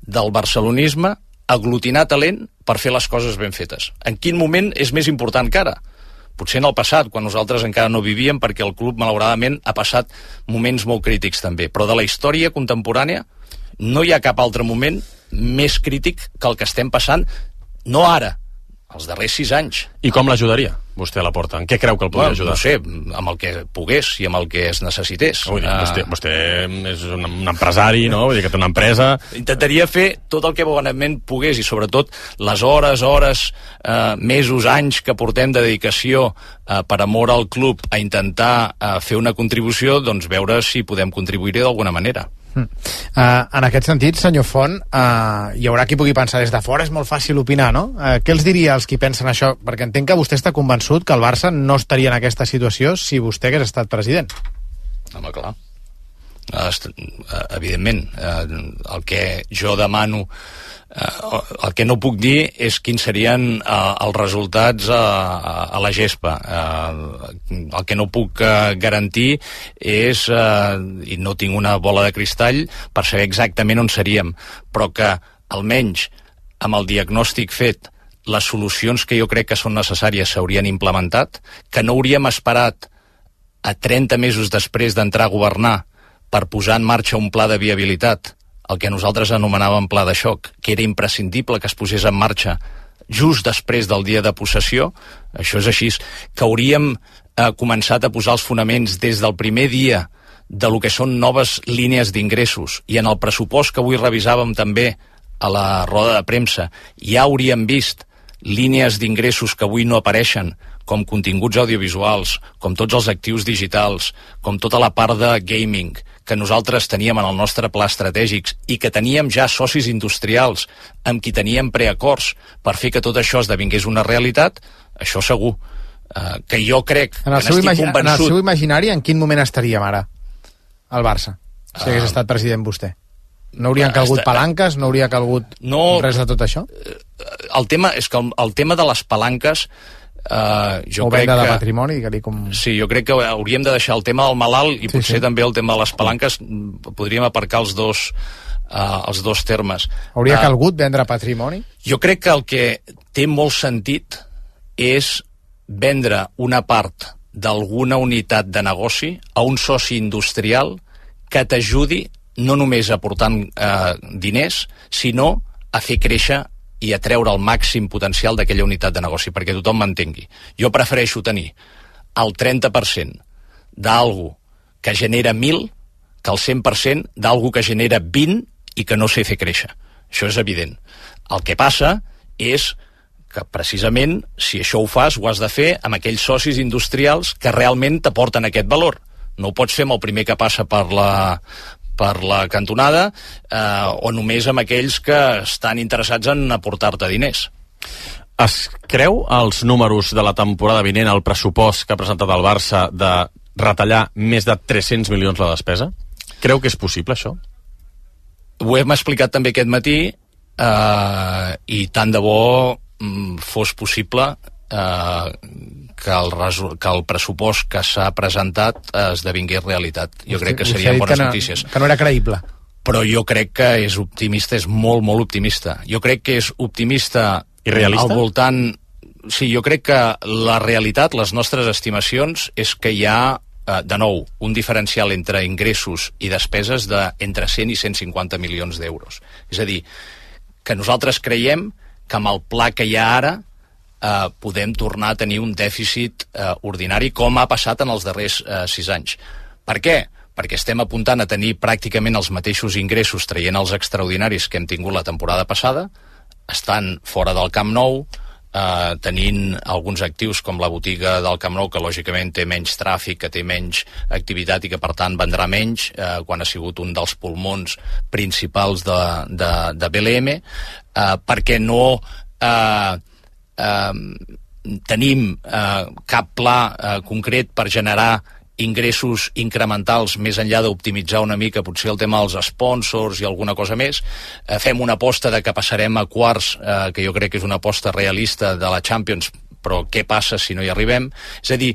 del barcelonisme, aglutinar talent per fer les coses ben fetes? En quin moment és més important que ara? Potser en el passat, quan nosaltres encara no vivíem, perquè el club, malauradament, ha passat moments molt crítics també. Però de la història contemporània no hi ha cap altre moment més crític que el que estem passant, no ara, els darrers sis anys. I com l'ajudaria, vostè, a la Porta? En què creu que el podria ajudar? No sé, amb el que pogués i amb el que es necessités. Vull dir, uh... vostè, vostè és un, un empresari, no? Vull dir que té una empresa... Intentaria fer tot el que bonament pogués i sobretot les hores, hores, uh, mesos, anys que portem de dedicació uh, per amor al club a intentar uh, fer una contribució, doncs veure si podem contribuir-hi d'alguna manera. Mm. Uh, en aquest sentit, senyor Font, uh, hi haurà qui pugui pensar des de fora, és molt fàcil opinar, no? Uh, què els diria als qui pensen això? Perquè entenc que vostè està convençut que el Barça no estaria en aquesta situació si vostè hagués estat president. Home, clar. Uh, evidentment. Uh, el que jo demano, uh, el que no puc dir és quins serien uh, els resultats a, a, a la gespa. Uh, el que no puc uh, garantir és, uh, i no tinc una bola de cristall per saber exactament on seríem, però que almenys amb el diagnòstic fet les solucions que jo crec que són necessàries s'haurien implementat, que no hauríem esperat a trenta mesos després d'entrar a governar per posar en marxa un pla de viabilitat, el que nosaltres anomenàvem pla de xoc, que era imprescindible que es posés en marxa just després del dia de possessió. Això és així, que hauríem eh, començat a posar els fonaments des del primer dia de lo que són noves línies d'ingressos, i en el pressupost que avui revisàvem també a la roda de premsa ja hauríem vist línies d'ingressos que avui no apareixen, com continguts audiovisuals, com tots els actius digitals, com tota la part de gaming que nosaltres teníem en el nostre pla estratègic i que teníem ja socis industrials amb qui teníem preacords per fer que tot això esdevingués una realitat, això segur. Uh, que jo crec en el, que n'estic convençut... en el seu imaginari, en quin moment estaríem ara, al Barça, si hagués uh, estat president vostè? No haurien calgut palanques? No hauria calgut no, res de tot això? El tema és que el, el tema de les palanques uh, jo o crec venda que, de patrimoni que com... sí, jo crec que hauríem de deixar el tema del malalt i sí, potser sí. també el tema de les palanques podríem aparcar els dos uh, els dos termes. Hauria uh, calgut vendre patrimoni? Jo crec que el que té molt sentit és vendre una part d'alguna unitat de negoci a un soci industrial que t'ajudi no només aportant eh, diners, sinó a fer créixer i a treure el màxim potencial d'aquella unitat de negoci, perquè tothom m'entengui. Jo prefereixo tenir el trenta per cent d'algú que genera mil que el cent per cent d'algú que genera vint i que no sé fer créixer. Això és evident. El que passa és que precisament, si això ho fas, ho has de fer amb aquells socis industrials que realment t'aporten aquest valor. No ho pots fer amb el primer que passa per la, per la cantonada eh, o només amb aquells que estan interessats en aportar-te diners. Es creu els números de la temporada vinent, el pressupost que ha presentat el Barça de retallar més de tres-cents milions la despesa? Creu que és possible, això? Ho hem explicat també aquest matí eh, i tant de bo mm, fos possible eh, que el, resu- que el pressupost que s'ha presentat esdevingués realitat. Jo Hosti, crec que serien bones que no, notícies. Que no era creïble. Però jo crec que és optimista, és molt, molt optimista. Jo crec que és optimista i realista? Al voltant... Sí, jo crec que la realitat, les nostres estimacions, és que hi ha, eh, de nou, un diferencial entre ingressos i despeses de entre cent i cent cinquanta milions d'euros. És a dir, que nosaltres creiem que amb el pla que hi ha ara eh, podem tornar a tenir un dèficit eh, ordinari, com ha passat en els darrers eh, sis anys. Per què? Perquè estem apuntant a tenir pràcticament els mateixos ingressos traient els extraordinaris que hem tingut la temporada passada, estan fora del Camp Nou, Uh, tenint alguns actius com la botiga del Camp Nou, que lògicament té menys tràfic, que té menys activitat i que per tant vendrà menys, uh, quan ha sigut un dels pulmons principals de, de, de B L M, uh, perquè no uh, uh, tenim uh, cap pla uh, concret per generar ingressos incrementals més enllà d'optimitzar una mica potser el tema dels sponsors i alguna cosa més. Eh, fem una aposta de que passarem a quarts, eh, que jo crec que és una aposta realista de la Champions, però què passa si no hi arribem? És a dir,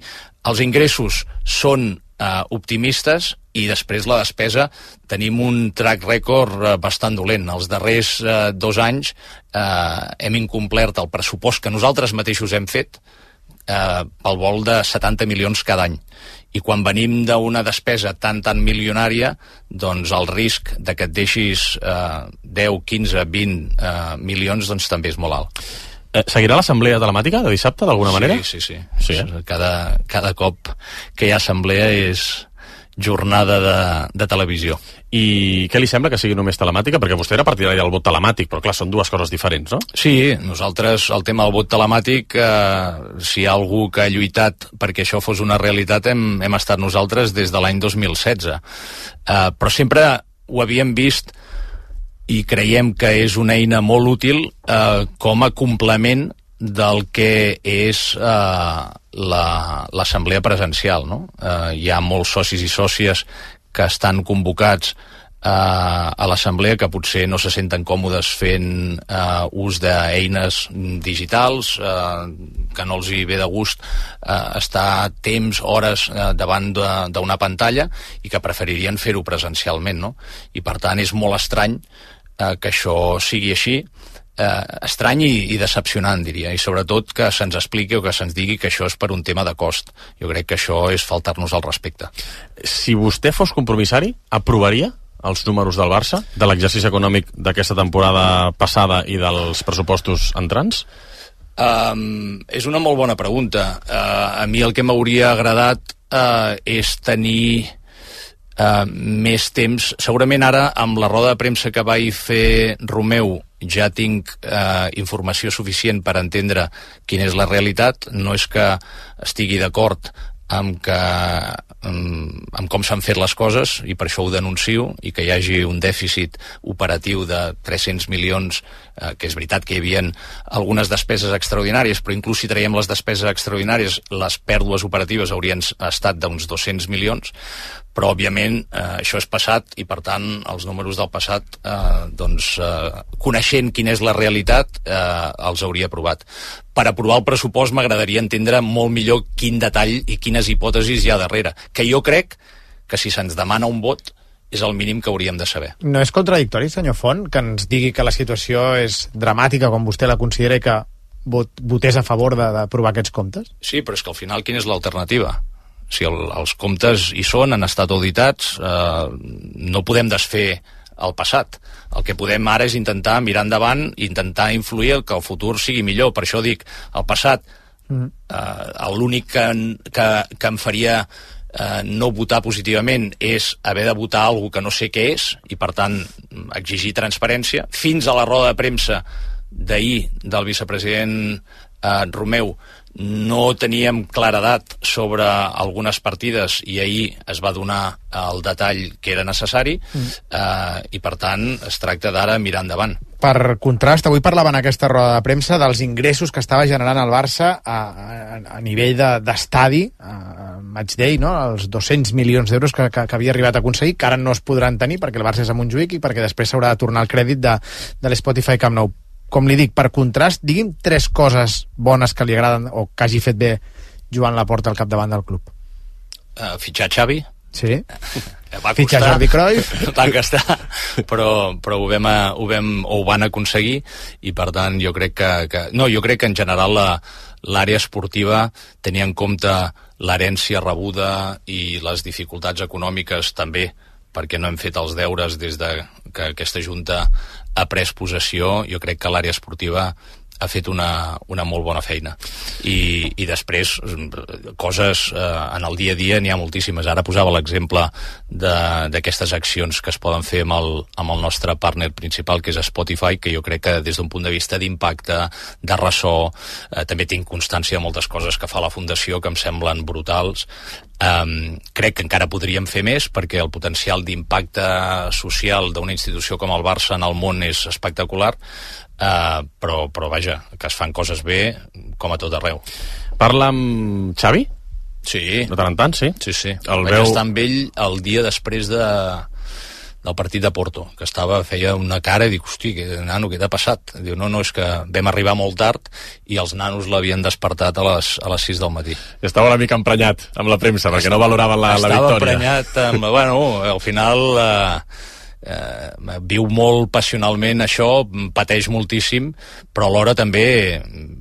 els ingressos són eh, optimistes i després la despesa tenim un track record eh, bastant dolent. Els darrers eh, dos anys eh, hem incomplert el pressupost que nosaltres mateixos hem fet eh, pel vol de setanta milions cada any. I quan venim d'una despesa tan, tan milionària, doncs el risc de que et deixis eh, deu, quinze, vint eh, milions doncs també és molt alt. Eh, seguirà l'assemblea telemàtica de dissabte, d'alguna sí, manera? Sí, sí. sí eh? cada, cada cop que hi ha assemblea és jornada de, de televisió. I què li sembla que sigui només telemàtica? Perquè vostè era partidari del vot telemàtic, però clar, són dues coses diferents, no? Sí, nosaltres, el tema del vot telemàtic, eh, si hi ha algú que ha lluitat perquè això fos una realitat, hem, hem estat nosaltres des de l'any dos mil setze. Eh, però sempre ho havíem vist i creiem que és una eina molt útil eh, com a complement del que és eh, l'assemblea presencial, no? Eh, hi ha molts socis i sòcies que estan convocats eh, a l'assemblea que potser no se senten còmodes fent eh, ús d'eines digitals, eh, que no els hi ve de gust eh, estar temps, hores eh, davant d'una pantalla i que preferirien fer-ho presencialment, no? I per tant és molt estrany eh, que això sigui així, eh, estrany i, i decepcionant, diria, i sobretot que se'ns expliqui o que se'ns digui que això és per un tema de cost. Jo crec que això és faltar-nos al respecte. Si vostè fos compromissari, aprovaria els números del Barça, de l'exercici econòmic d'aquesta temporada passada i dels pressupostos entrants? Um, és una molt bona pregunta. Uh, a mi el que m'hauria agradat uh, és tenir uh, més temps. Segurament ara, amb la roda de premsa que vaig fer Romeu, ja tinc eh, informació suficient per entendre quina és la realitat. No és que estigui d'acord amb, que, amb, amb com s'han fet les coses, i per això ho denuncio, i que hi hagi un dèficit operatiu de tres-cents milions, eh, que és veritat que hi havia algunes despeses extraordinàries, però inclús si traiem les despeses extraordinàries, les pèrdues operatives haurien estat d'uns dos-cents milions, però òbviament eh, això és passat i per tant els números del passat eh, doncs eh, coneixent quina és la realitat eh, els hauria aprovat. Per aprovar el pressupost m'agradaria entendre molt millor quin detall i quines hipòtesis hi ha darrere, que jo crec que si se'ns demana un vot és el mínim que hauríem de saber. No és contradictori, senyor Font, que ens digui que la situació és dramàtica com vostè la considera i que vot, votés a favor d'aprovar aquests comptes? Sí, però és que al final quina és l'alternativa? Si el, els comptes hi són, han estat auditats, eh, no podem desfer el passat. El que podem ara és intentar mirar endavant i intentar influir que el futur sigui millor. Per això dic, el passat, mm. eh, l'únic que, que, que em faria eh, no votar positivament és haver de votar alguna que no sé què és i, per tant, exigir transparència. Fins a la roda de premsa d'ahir del vicepresident eh, Romeu no teníem claredat sobre algunes partides i ahir es va donar el detall que era necessari mm. eh, i per tant es tracta d'ara mirar endavant. Per contrast, avui parlava en aquesta roda de premsa dels ingressos que estava generant el Barça a, a, a nivell d'estadi, de, a matchday, no? Els dos-cents milions d'euros que, que, que havia arribat a aconseguir, que ara no es podran tenir perquè el Barça és a Montjuïc i perquè després s'haurà de tornar el crèdit de, de l'Spotify Camp Nou. Com li dic, per contrast, digui'm tres coses bones que li agraden o que hagi fet bé Joan Laporta al capdavant del club? Uh, fitxar Xavi? Sí. Va fitxar costar, Jordi Cruyff? va costar, però, però ho, vam, ho, vam, ho van aconseguir i per tant jo crec que, que no, jo crec que en general la, l'àrea esportiva tenia en compte l'herència rebuda i les dificultats econòmiques també, perquè no hem fet els deures des de que aquesta Junta ha pres possessió. Jo crec que l'àrea esportiva ha fet una, una molt bona feina. I, i després, coses eh, en el dia a dia n'hi ha moltíssimes. Ara posava l'exemple d'aquestes accions que es poden fer amb el, amb el nostre partner principal, que és Spotify, que jo crec que des d'un punt de vista d'impacte, de ressò, eh, també tinc constància de moltes coses que fa la Fundació que em semblen brutals. Um, crec que encara podríem fer més perquè el potencial d'impacte social d'una institució com el Barça en el món és espectacular. Uh, però, però vaja, que es fan coses bé com a tot arreu. Parla amb Xavi? Sí. De tant en tant, sí? Sí, sí. El Vaig veu... estar amb ell el dia després de, del partit de Porto, que estava, feia una cara i dic, hosti, que, nano, què t'ha passat? Diu, no, no, és que vam arribar molt tard i els nanos l'havien despertat a les, a les sis del matí. Estava una mica emprenyat amb la premsa, perquè no valoraven la, la victòria. Estava emprenyat amb... Bueno, al final... Eh, eh, viu molt passionalment això, pateix moltíssim, però alhora també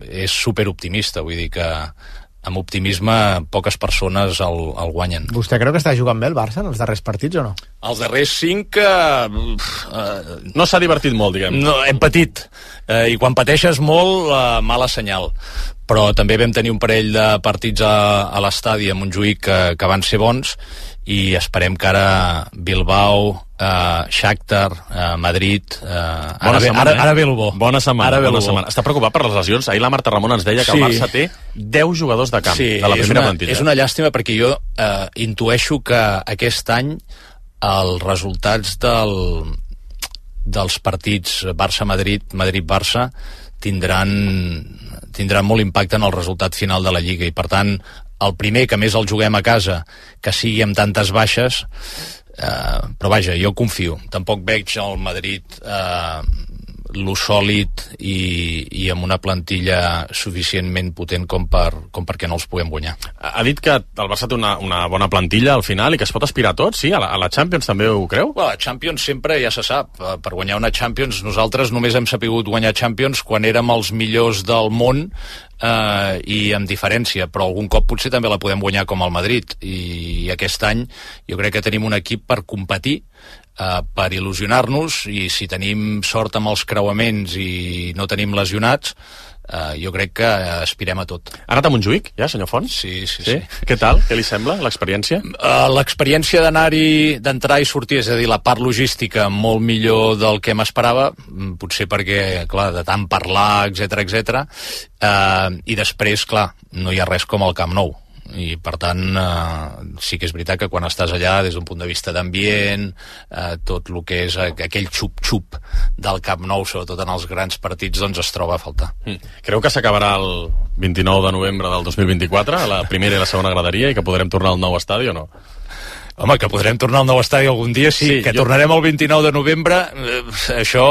és superoptimista, vull dir que amb optimisme poques persones el, el guanyen. Vostè creu que està jugant bé el Barça en els darrers partits o no? Els darrers cinc eh, eh, no s'ha divertit molt, diguem. No, hem patit, eh, i quan pateixes molt, eh, mala senyal. Però també vam tenir un parell de partits a, a l'estadi a Montjuïc que, que van ser bons, i esperem que ara Bilbao, eh, Shakhtar, eh, Madrid... Eh, ara, ve, setmana, ara, ara ve el bo. Bona setmana, ara ve bona el bo. setmana. Està preocupat per les lesions? Ahir la Marta Ramon ens deia que sí. el Barça té deu jugadors de camp, sí, de la primera una, plantilla. És una llàstima perquè jo eh, intueixo que aquest any els resultats del, dels partits Barça-Madrid, Madrid-Barça tindran, tindran molt impacte en el resultat final de la Lliga, i per tant el primer, que més el juguem a casa, que sigui amb tantes baixes, eh, però vaja, jo confio. Tampoc veig el Madrid eh, lo sòlid i, i amb una plantilla suficientment potent com, per, com perquè no els puguem guanyar. Ha dit que el Barça té una, una bona plantilla al final i que es pot aspirar a tot, sí? A la, a la Champions també ho creu? Well, la Champions sempre ja se sap. Per guanyar una Champions, nosaltres només hem sapigut guanyar Champions quan érem els millors del món, Uh, i amb diferència, però algun cop potser també la podem guanyar com el Madrid, i, i aquest any jo crec que tenim un equip per competir, uh, per il·lusionar-nos, i si tenim sort amb els creuaments i no tenim lesionats, uh, jo crec que aspirem a tot. Ha anat a Montjuïc, ja, senyor Font? Sí, sí, sí. sí. Què tal? Què li sembla, l'experiència? Uh, l'experiència d'anar-hi, d'entrar i sortir, és a dir, la part logística molt millor del que m'esperava, potser perquè, clar, de tant parlar, etcètera, etcètera, uh, i després, clar, no hi ha res com el Camp Nou, i per tant eh, sí que és veritat que quan estàs allà des d'un punt de vista d'ambient, eh, tot el que és aquell xup-xup del Camp Nou, sobretot en els grans partits, doncs es troba a faltar. Mm. Creu que s'acabarà el vint-i-nou de novembre del dos mil vint-i-quatre, a la primera i la segona graderia, i que podrem tornar al nou estadi o no? Home, que podrem tornar al nou estadi algun dia, sí, sí que jo... tornarem el vint-i-nou de novembre, eh, això...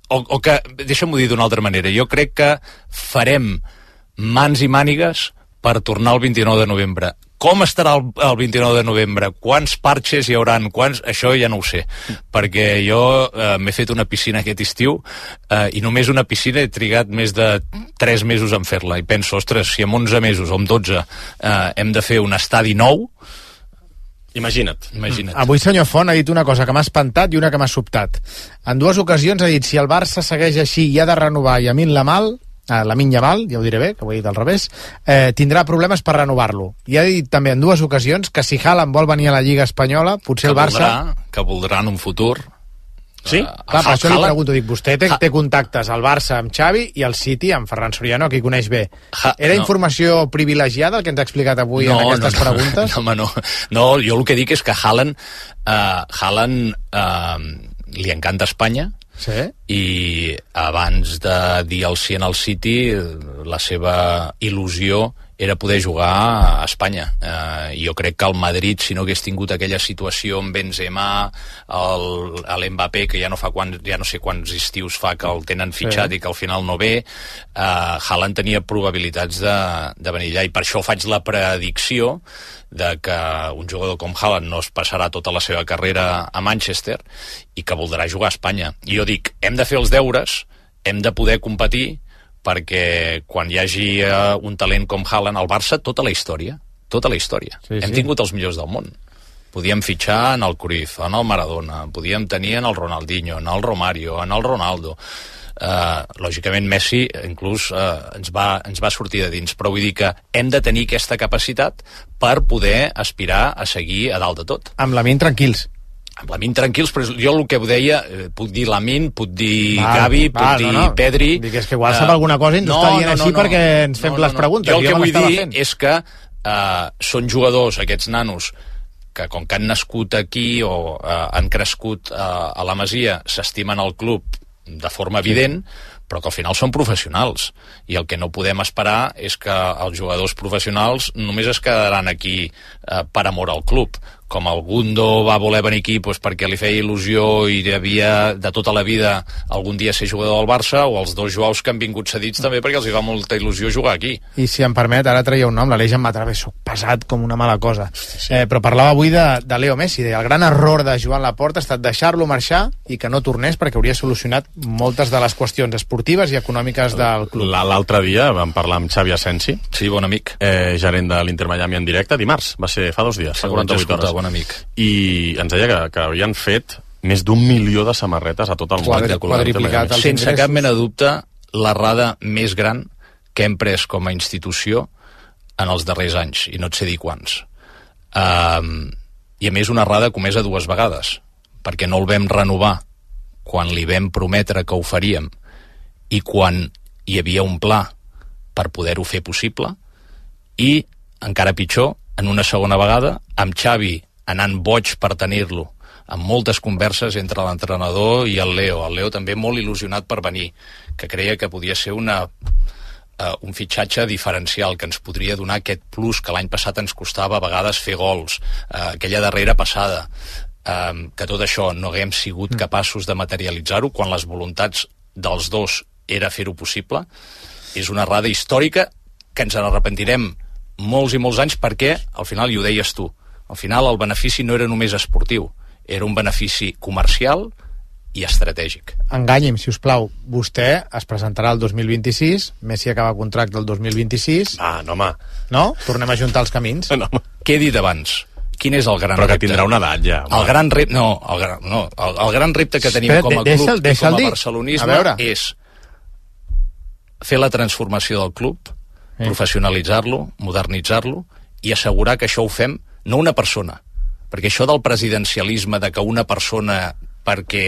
O, o que, deixa'm-ho dir d'una altra manera, jo crec que farem mans i mànigues per tornar el vint-i-nou de novembre. Com estarà el, el vint-i-nou de novembre? Quants parxes hi hauran? Quants... Això ja no ho sé, perquè jo eh, m'he fet una piscina aquest estiu, eh, i només una piscina he trigat més de tres mesos en fer-la, i penso, ostres, si en onze mesos o en dotze eh, hem de fer un estadi nou, Imagina't. Imagina't. Avui senyor Font ha dit una cosa que m'ha espantat i una que m'ha sobtat. En dues ocasions ha dit, si el Barça segueix així i ha de renovar Yamin Lamal, eh, Lamine Yamal, ja ho diré bé, que ho he dit al revés, eh, tindrà problemes per renovar-lo. I ha dit també en dues ocasions que si Haaland vol venir a la Lliga Espanyola, potser que el Barça... Voldrà, que voldrà en un futur... Sí? Uh, Clar, per això li pregunto, dic, vostè té, té contactes al Barça amb Xavi i al City amb Ferran Soriano, que hi coneix bé. Ha, Era no. informació privilegiada el que ens ha explicat avui no, en aquestes no, no, preguntes? No, home, no. No, jo el que dic és que Haaland, uh, Haaland uh, li encanta Espanya, sí? I abans de dir el sí en el City, la seva il·lusió era poder jugar a Espanya. Eh, jo crec que el Madrid, si no hagués tingut aquella situació amb Benzema, l'Mbappé, que ja no fa quan, ja no sé quants estius fa que el tenen fitxat sí. i que al final no ve, eh, Haaland tenia probabilitats de, de venir allà, i per això faig la predicció de que un jugador com Haaland no es passarà tota la seva carrera a Manchester i que voldrà jugar a Espanya. I jo dic, hem de fer els deures, hem de poder competir, perquè quan hi hagi uh, un talent com Haaland al Barça, tota la història, tota la història. Sí, Hem sí. tingut els millors del món. Podíem fitxar en el Cruyff, en el Maradona, podíem tenir en el Ronaldinho, en el Romario, en el Ronaldo. Uh, lògicament Messi inclús uh, ens, va, ens va sortir de dins, però vull dir que hem de tenir aquesta capacitat per poder aspirar a seguir a dalt de tot. Amb la ment tranquils. Amb Lamin tranquils, però jo el que ho deia, eh, puc dir Lamin, puc dir val, Gavi, puc val, dir no, no. Pedri... Dic, és que igual sap uh, alguna cosa i ens no, està dient no, no, així no, perquè ens fem no, no, les preguntes. Jo el que vull dir fent. és que uh, són jugadors, aquests nanos, que com que han nascut aquí o uh, han crescut uh, a la Masia, s'estimen al club de forma evident, sí. però que al final són professionals. I el que no podem esperar és que els jugadors professionals només es quedaran aquí uh, per amor al club. Com el Gundo va voler venir aquí doncs, perquè li feia il·lusió i havia de tota la vida algun dia ser jugador del Barça, o els dos Joaus que han vingut cedits també perquè els hi va molta il·lusió jugar aquí. I si em permet, ara traia un nom, l'Aleix em va treure, soc pesat com una mala cosa. Sí, sí. Eh, però parlava avui de, de Leo Messi, deia, el gran error de Joan Laporta ha estat deixar-lo marxar i que no tornés perquè hauria solucionat moltes de les qüestions esportives i econòmiques del club. L'altre dia vam parlar amb Xavi Asensi, sí, bon amic, eh, gerent de l'Inter Miami en directe, dimarts, va ser fa dos dies, fa quaranta-vuit hores. Bon amic. I ens deia que, que havien fet més d'un milió de samarretes a tot el món. Sense cap mena de dubte, l'errada més gran que hem pres com a institució en els darrers anys, i no et sé dir quants. Um, I a més una errada comesa dues vegades, perquè no el vam renovar quan li vam prometre que ho faríem i quan hi havia un pla per poder-ho fer possible, i, encara pitjor, en una segona vegada, amb Xavi anant boig per tenir-lo, amb moltes converses entre l'entrenador i el Leo. El Leo també molt il·lusionat per venir, que creia que podia ser una, uh, un fitxatge diferencial, que ens podria donar aquest plus que l'any passat ens costava a vegades fer gols, uh, aquella darrera passada, uh, que tot això no haguem sigut capaços de materialitzar-ho quan les voluntats dels dos era fer-ho possible. És una errada històrica que ens en arrepentirem molts i molts anys, perquè al final, i ho deies tu, al final el benefici no era només esportiu, era un benefici comercial i estratègic. Enganyi'm, si us plau, vostè es presentarà el dos mil vint-i-sis, Messi acaba contracte el dos mil vint-i-sis... Ah, no, home. No? Tornem a juntar els camins? No, què he dit abans? Quin és el gran repte? Però que repte? tindrà una edat ja. Home. El gran repte, no, el gran, no, el, el gran repte que tenim Espera, com a club deixa'l, deixa'l i com a barcelonisme és fer la transformació del club, eh. professionalitzar-lo, modernitzar-lo i assegurar que això ho fem no una persona, perquè això del presidencialisme, de que una persona perquè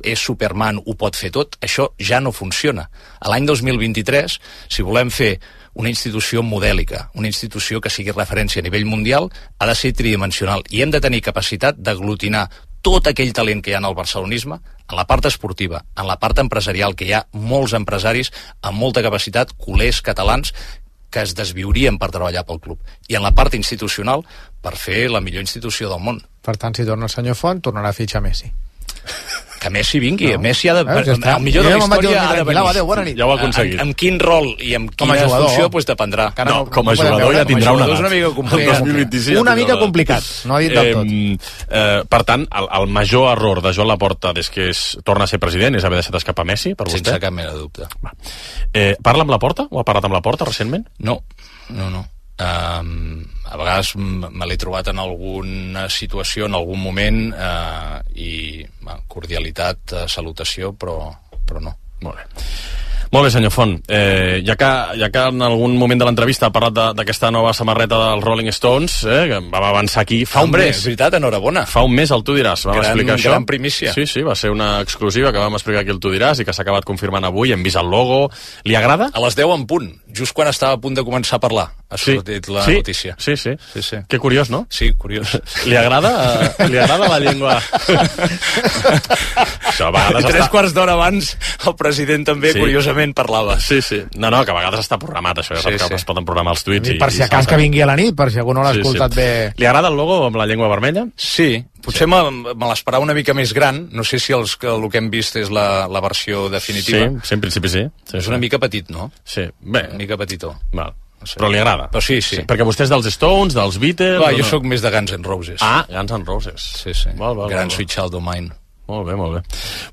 és Superman ho pot fer tot, això ja no funciona. A l'any dos mil vint-i-tres, si volem fer una institució modèlica, una institució que sigui referència a nivell mundial, ha de ser tridimensional i hem de tenir capacitat d'aglutinar tot aquell talent que hi ha en el barcelonisme, en la part esportiva, en la part empresarial, que hi ha molts empresaris amb molta capacitat, culers, catalans, que es desviurien per treballar pel club, i en la part institucional per fer la millor institució del món. Per tant, si torna el senyor Font, tornarà a fitxar Messi. Que Messi vingui, no. Messi ha de... Eh, ja el millor de la història ha de venir. Adéu, bona nit. Ja ho ha aconseguit. Amb, amb quin rol i amb quina funció pues, dependrà. No, no, com a jugador veure, ja tindrà una edat. Una mica complicat. dos mil vint-i-sis, una mica complicat, no ha dit del tot. Eh, eh, per tant, el, el major error de Joan Laporta des que és, torna a ser president és haver deixat escapar Messi, per vostè? Sense cap mena de dubte. Va. Eh, parla amb Laporta? O ha parlat amb Laporta recentment? No, no, no. Um, a vegades me l'he trobat en alguna situació, en algun moment, uh, i uh, cordialitat, uh, salutació, però, però no. Molt bé. Molt bé, senyor Font. Eh, ja, que, ja que en algun moment de l'entrevista ha parlat d'aquesta nova samarreta dels Rolling Stones, eh, que vam avançar aquí fa Hombre, un mes. És veritat, enhorabona. Fa un mes, el Tu diràs. Vam gran, explicar això. Gran primícia. Sí, sí, va ser una exclusiva que vam explicar aquí el Tu diràs i que s'ha acabat confirmant avui. Hem vist el logo. Li agrada? A les deu en punt, just quan estava a punt de començar a parlar. ha sortit sí, la sí, notícia. Sí, sí, sí, sí. Que curiós, no? Sí, curiós. Li agrada, li agrada la llengua... Això, a vegades Tres està... quarts d'hora abans el president també, sí. curiosament, parlava. Sí, sí. No, no, que a vegades està programat, això, ja sí, sí. Es poden programar els tuits. I, per si acas que vingui a la nit, per si algú no l'ha sí, escoltat sí. bé... Li agrada el logo amb la llengua vermella? Sí, potser sí. me, me l'esperava una mica més gran. No sé si els, el que hem vist és la, la versió definitiva. Sí, sí, en principi sí. sí és sí. una mica petit, no? Sí, bé. Una mica petitó. Val. No sé. Però li agrada. Però sí, sí, sí. Perquè vostè és dels Stones, dels Beatles... Clar, jo no? sóc més de Guns N' Roses. Ah, Guns N' Roses. Sí, sí. Val, val, Gran val, Sweet Child O' Mine. Molt bé, molt bé.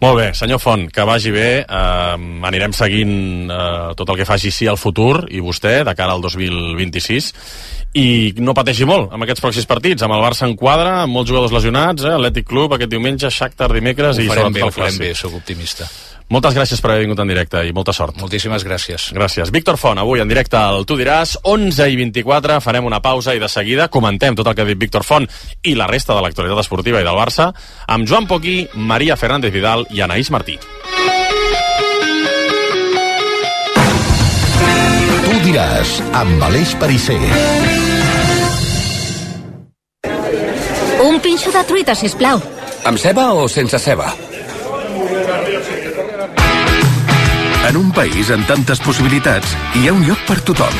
Molt bé, senyor Font, que vagi bé. Uh, anirem seguint uh, tot el que faci sí al futur, i vostè, de cara al dos mil vint-i-sis. I no pateixi molt amb aquests pròxims partits. Amb el Barça en quadre, amb molts jugadors lesionats, eh? Atlètic Club aquest diumenge, Shakhtar dimecres... Ho i farem bé, ho el farem bé, sóc optimista. Moltes gràcies per haver vingut en directe i molta sort. Moltíssimes gràcies. Gràcies. Víctor Font, avui en directe al Tu diràs, onze i vint-i-quatre, farem una pausa i de seguida comentem tot el que ha dit Víctor Font i la resta de l'actualitat esportiva i del Barça amb Joan Poquí, Maria Fernández Vidal i Anaïs Martí. Tu diràs, amb Aleix Perisser. Un pinxo de truita, sisplau. Amb ceba o sense ceba? En un país amb tantes possibilitats, hi ha un lloc per tothom.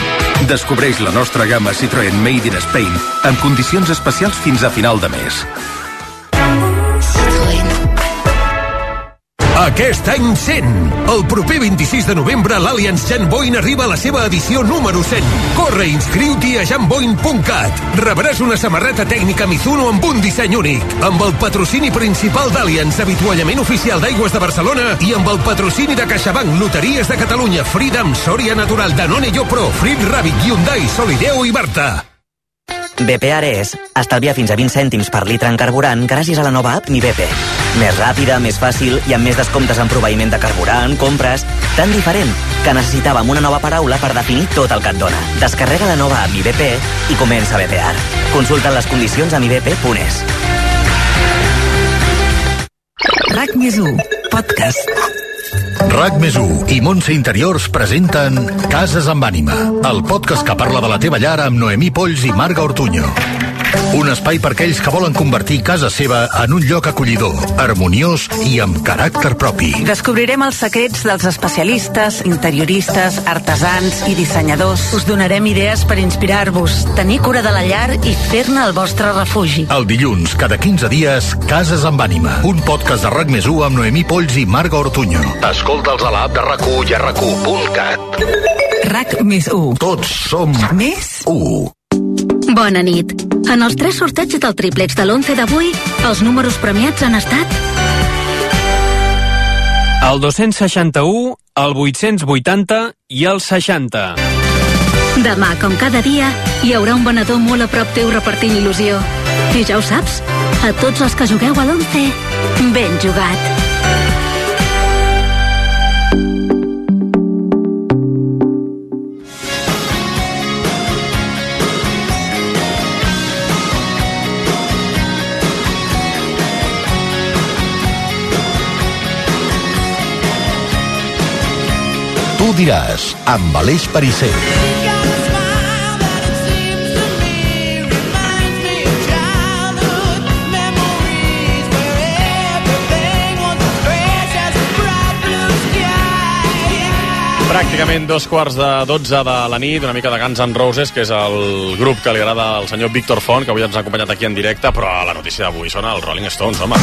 Descobreix la nostra gamma Citroën Made in Spain amb condicions especials fins a final de mes. Aquest any cent. El proper vint-i-sis de novembre l'Allianz Jan Boyne arriba a la seva edició número cent. Corre i inscriu-t'hi a jan boyne punt cat. Rebràs una samarreta tècnica Mizuno amb un disseny únic. Amb el patrocini principal d'Allianz, avituallament oficial d'Aigües de Barcelona, i amb el patrocini de CaixaBank, Loteries de Catalunya, Freedom, Soria Natural, Danone Yopro, Flip Rabbit, Hyundai, Solideo i Marta. B P Ares estalvia fins a vint cèntims per litre en carburant gràcies a la nova app Mi B P. Més ràpida, més fàcil i amb més descomptes en proveïment de carburant, compres... Tan diferent que necessitàvem una nova paraula per definir tot el que et dona. Descarrega la nova app Mi B P i comença a B P ar. Consulta les condicions a mi b p punt es. RAC més u, podcast. RAC més u i Montse Interiors presenten Cases amb ànima, el podcast que parla de la teva llar amb Noemí Polls i Marga Ortuño. Un espai per aquells que volen convertir casa seva en un lloc acollidor, harmoniós i amb caràcter propi. Descobrirem els secrets dels especialistes, interioristes, artesans i dissenyadors. Us donarem idees per inspirar-vos, tenir cura de la llar i fer-ne el vostre refugi. El dilluns, cada quinze dies, Cases amb ànima, un podcast de RAC més u amb Noemí Polls i Marga Ortuño. Escolta'ls a l'app de RAC u i a rac u punt cat. RAC més u. Tots som més u. Bona nit. En els tres sorteigs del triplex de l'onze d'avui, els números premiats han estat... El dos-cents seixanta-u, el vuit-cents vuitanta i el seixanta. Demà, com cada dia, hi haurà un venedor molt a prop teu repartint il·lusió. I ja ho saps, a tots els que jugueu a l'onze, ben jugat. Tu diràs, amb Aleix Perisser. Pràcticament dos quarts de dotze de la nit, una mica de Guns N' Roses, que és el grup que li agrada al senyor Víctor Font, que avui ens ha acompanyat aquí en directe, però la notícia d'avui són els Rolling Stones, home.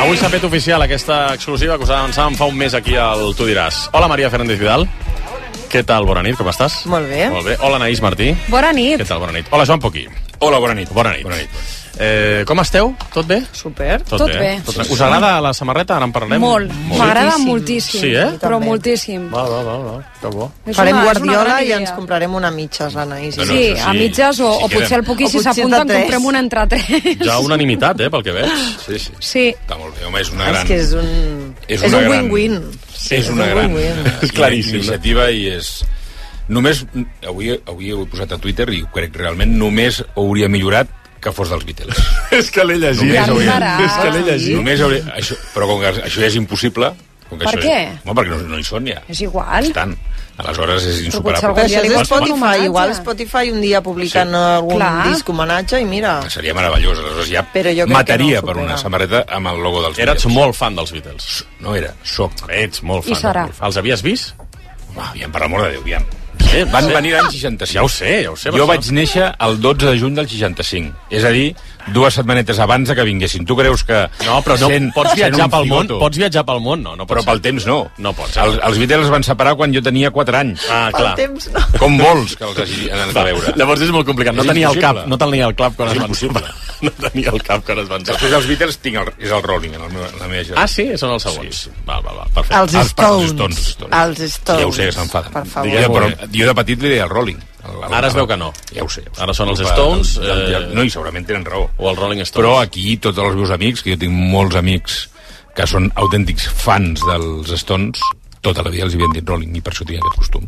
Avui s'ha fet oficial aquesta exclusiva que us avançàvem fa un mes aquí al Tu diràs. Hola, Maria Fernández Vidal. Què tal? Bona nit, com estàs? Molt bé. Molt bé. Hola, Anaïs Martí. Bona nit. Què tal? Bona nit. Hola, Joan Poquí. Hola, bona nit. Bona nit. Bona nit. Eh, com esteu? Tot bé? Super. Tot, Tot bé. bé. Tot bé. Us agrada la samarreta? Ara en parlarem. Molt. M'agrada moltíssim. Sí, eh? Però moltíssim. Va, va, va, va. Que bo. Farem guardiola i ens comprarem una mitges, l'Anaïs. No, no, Sí, sí. a mitges o, Si o potser quedem. el Poquí, O si potser s'apunta, en de tres. comprem una entre tres. Ja unanimitat, eh, pel que veig. Sí, sí. Sí. Està molt bé, home, és una És gran... que és un... És és una un gran- win-win. És una un gran win-win. és claríssim, iniciativa i és... Només, avui, avui ho he posat a Twitter i crec que realment només hauria millorat que fos dels Beatles. És que l'he llegit. Només hauria... És que l'he llegit. Només hauria... Això... Però com que això ja és impossible... Com que Per això què? És... Home, perquè no, no hi són ja. És igual. Estan. Aleshores és insuperable. Però això és Però Spotify, igual Spotify un dia publicant Sí. algun Clar. disc homenatge i mira... Seria meravellós, aleshores ja Però jo crec mataria que no per supera. una samarreta amb el logo dels Eres Beatles. molt fan dels Beatles. No era, soc. Ets molt I fan. serà. Molt fan. Els havies vist? Va, aviam, per l'amor de Déu, aviam. Sí, Van sí. venir l'any seixanta-cinc. Ja ho sé, ja ho sé. Jo vaig néixer el dotze de juny del seixanta-cinc. És a dir, dues setmanetes abans de que vinguessin. Tu creus que... No, però no, sent, pots viatjar sent un pel món, cigoto, pots viatjar pel món, no, no pot però ser. pel temps no. No pot ser. Els, els Beatles es van separar quan jo tenia quatre anys. Ah, clar. El temps no. Com vols que els hagi anat a veure? Llavors és molt complicat. No És tenia el cap, impossible. no tenia el cap quan És es van impossible. separar. No tenia el cap quan es van separar. Després dels Beatles tinc el, és el Rolling, en, el meu, en la meva generació. Ah, sí? Són els següents. Sí, Val, val, val. Perfecte. Els Els- Stones. els Stones, els Stones. Els Stones. Ja ho sé, que s'enfaden. Per favor. Jo, però jo de petit li deia el Rolling. El, el, Ara es veu que no. Ja ho sé. Ja ho sé. Ara són els Culpa Stones, del- del- eh, No, i segurament tenen raó. O el Rolling Stones. Però aquí tots els meus amics, que jo tinc molts amics que són autèntics fans dels Stones, tota la vida els havien dit Rolling i per això tinc aquest costum.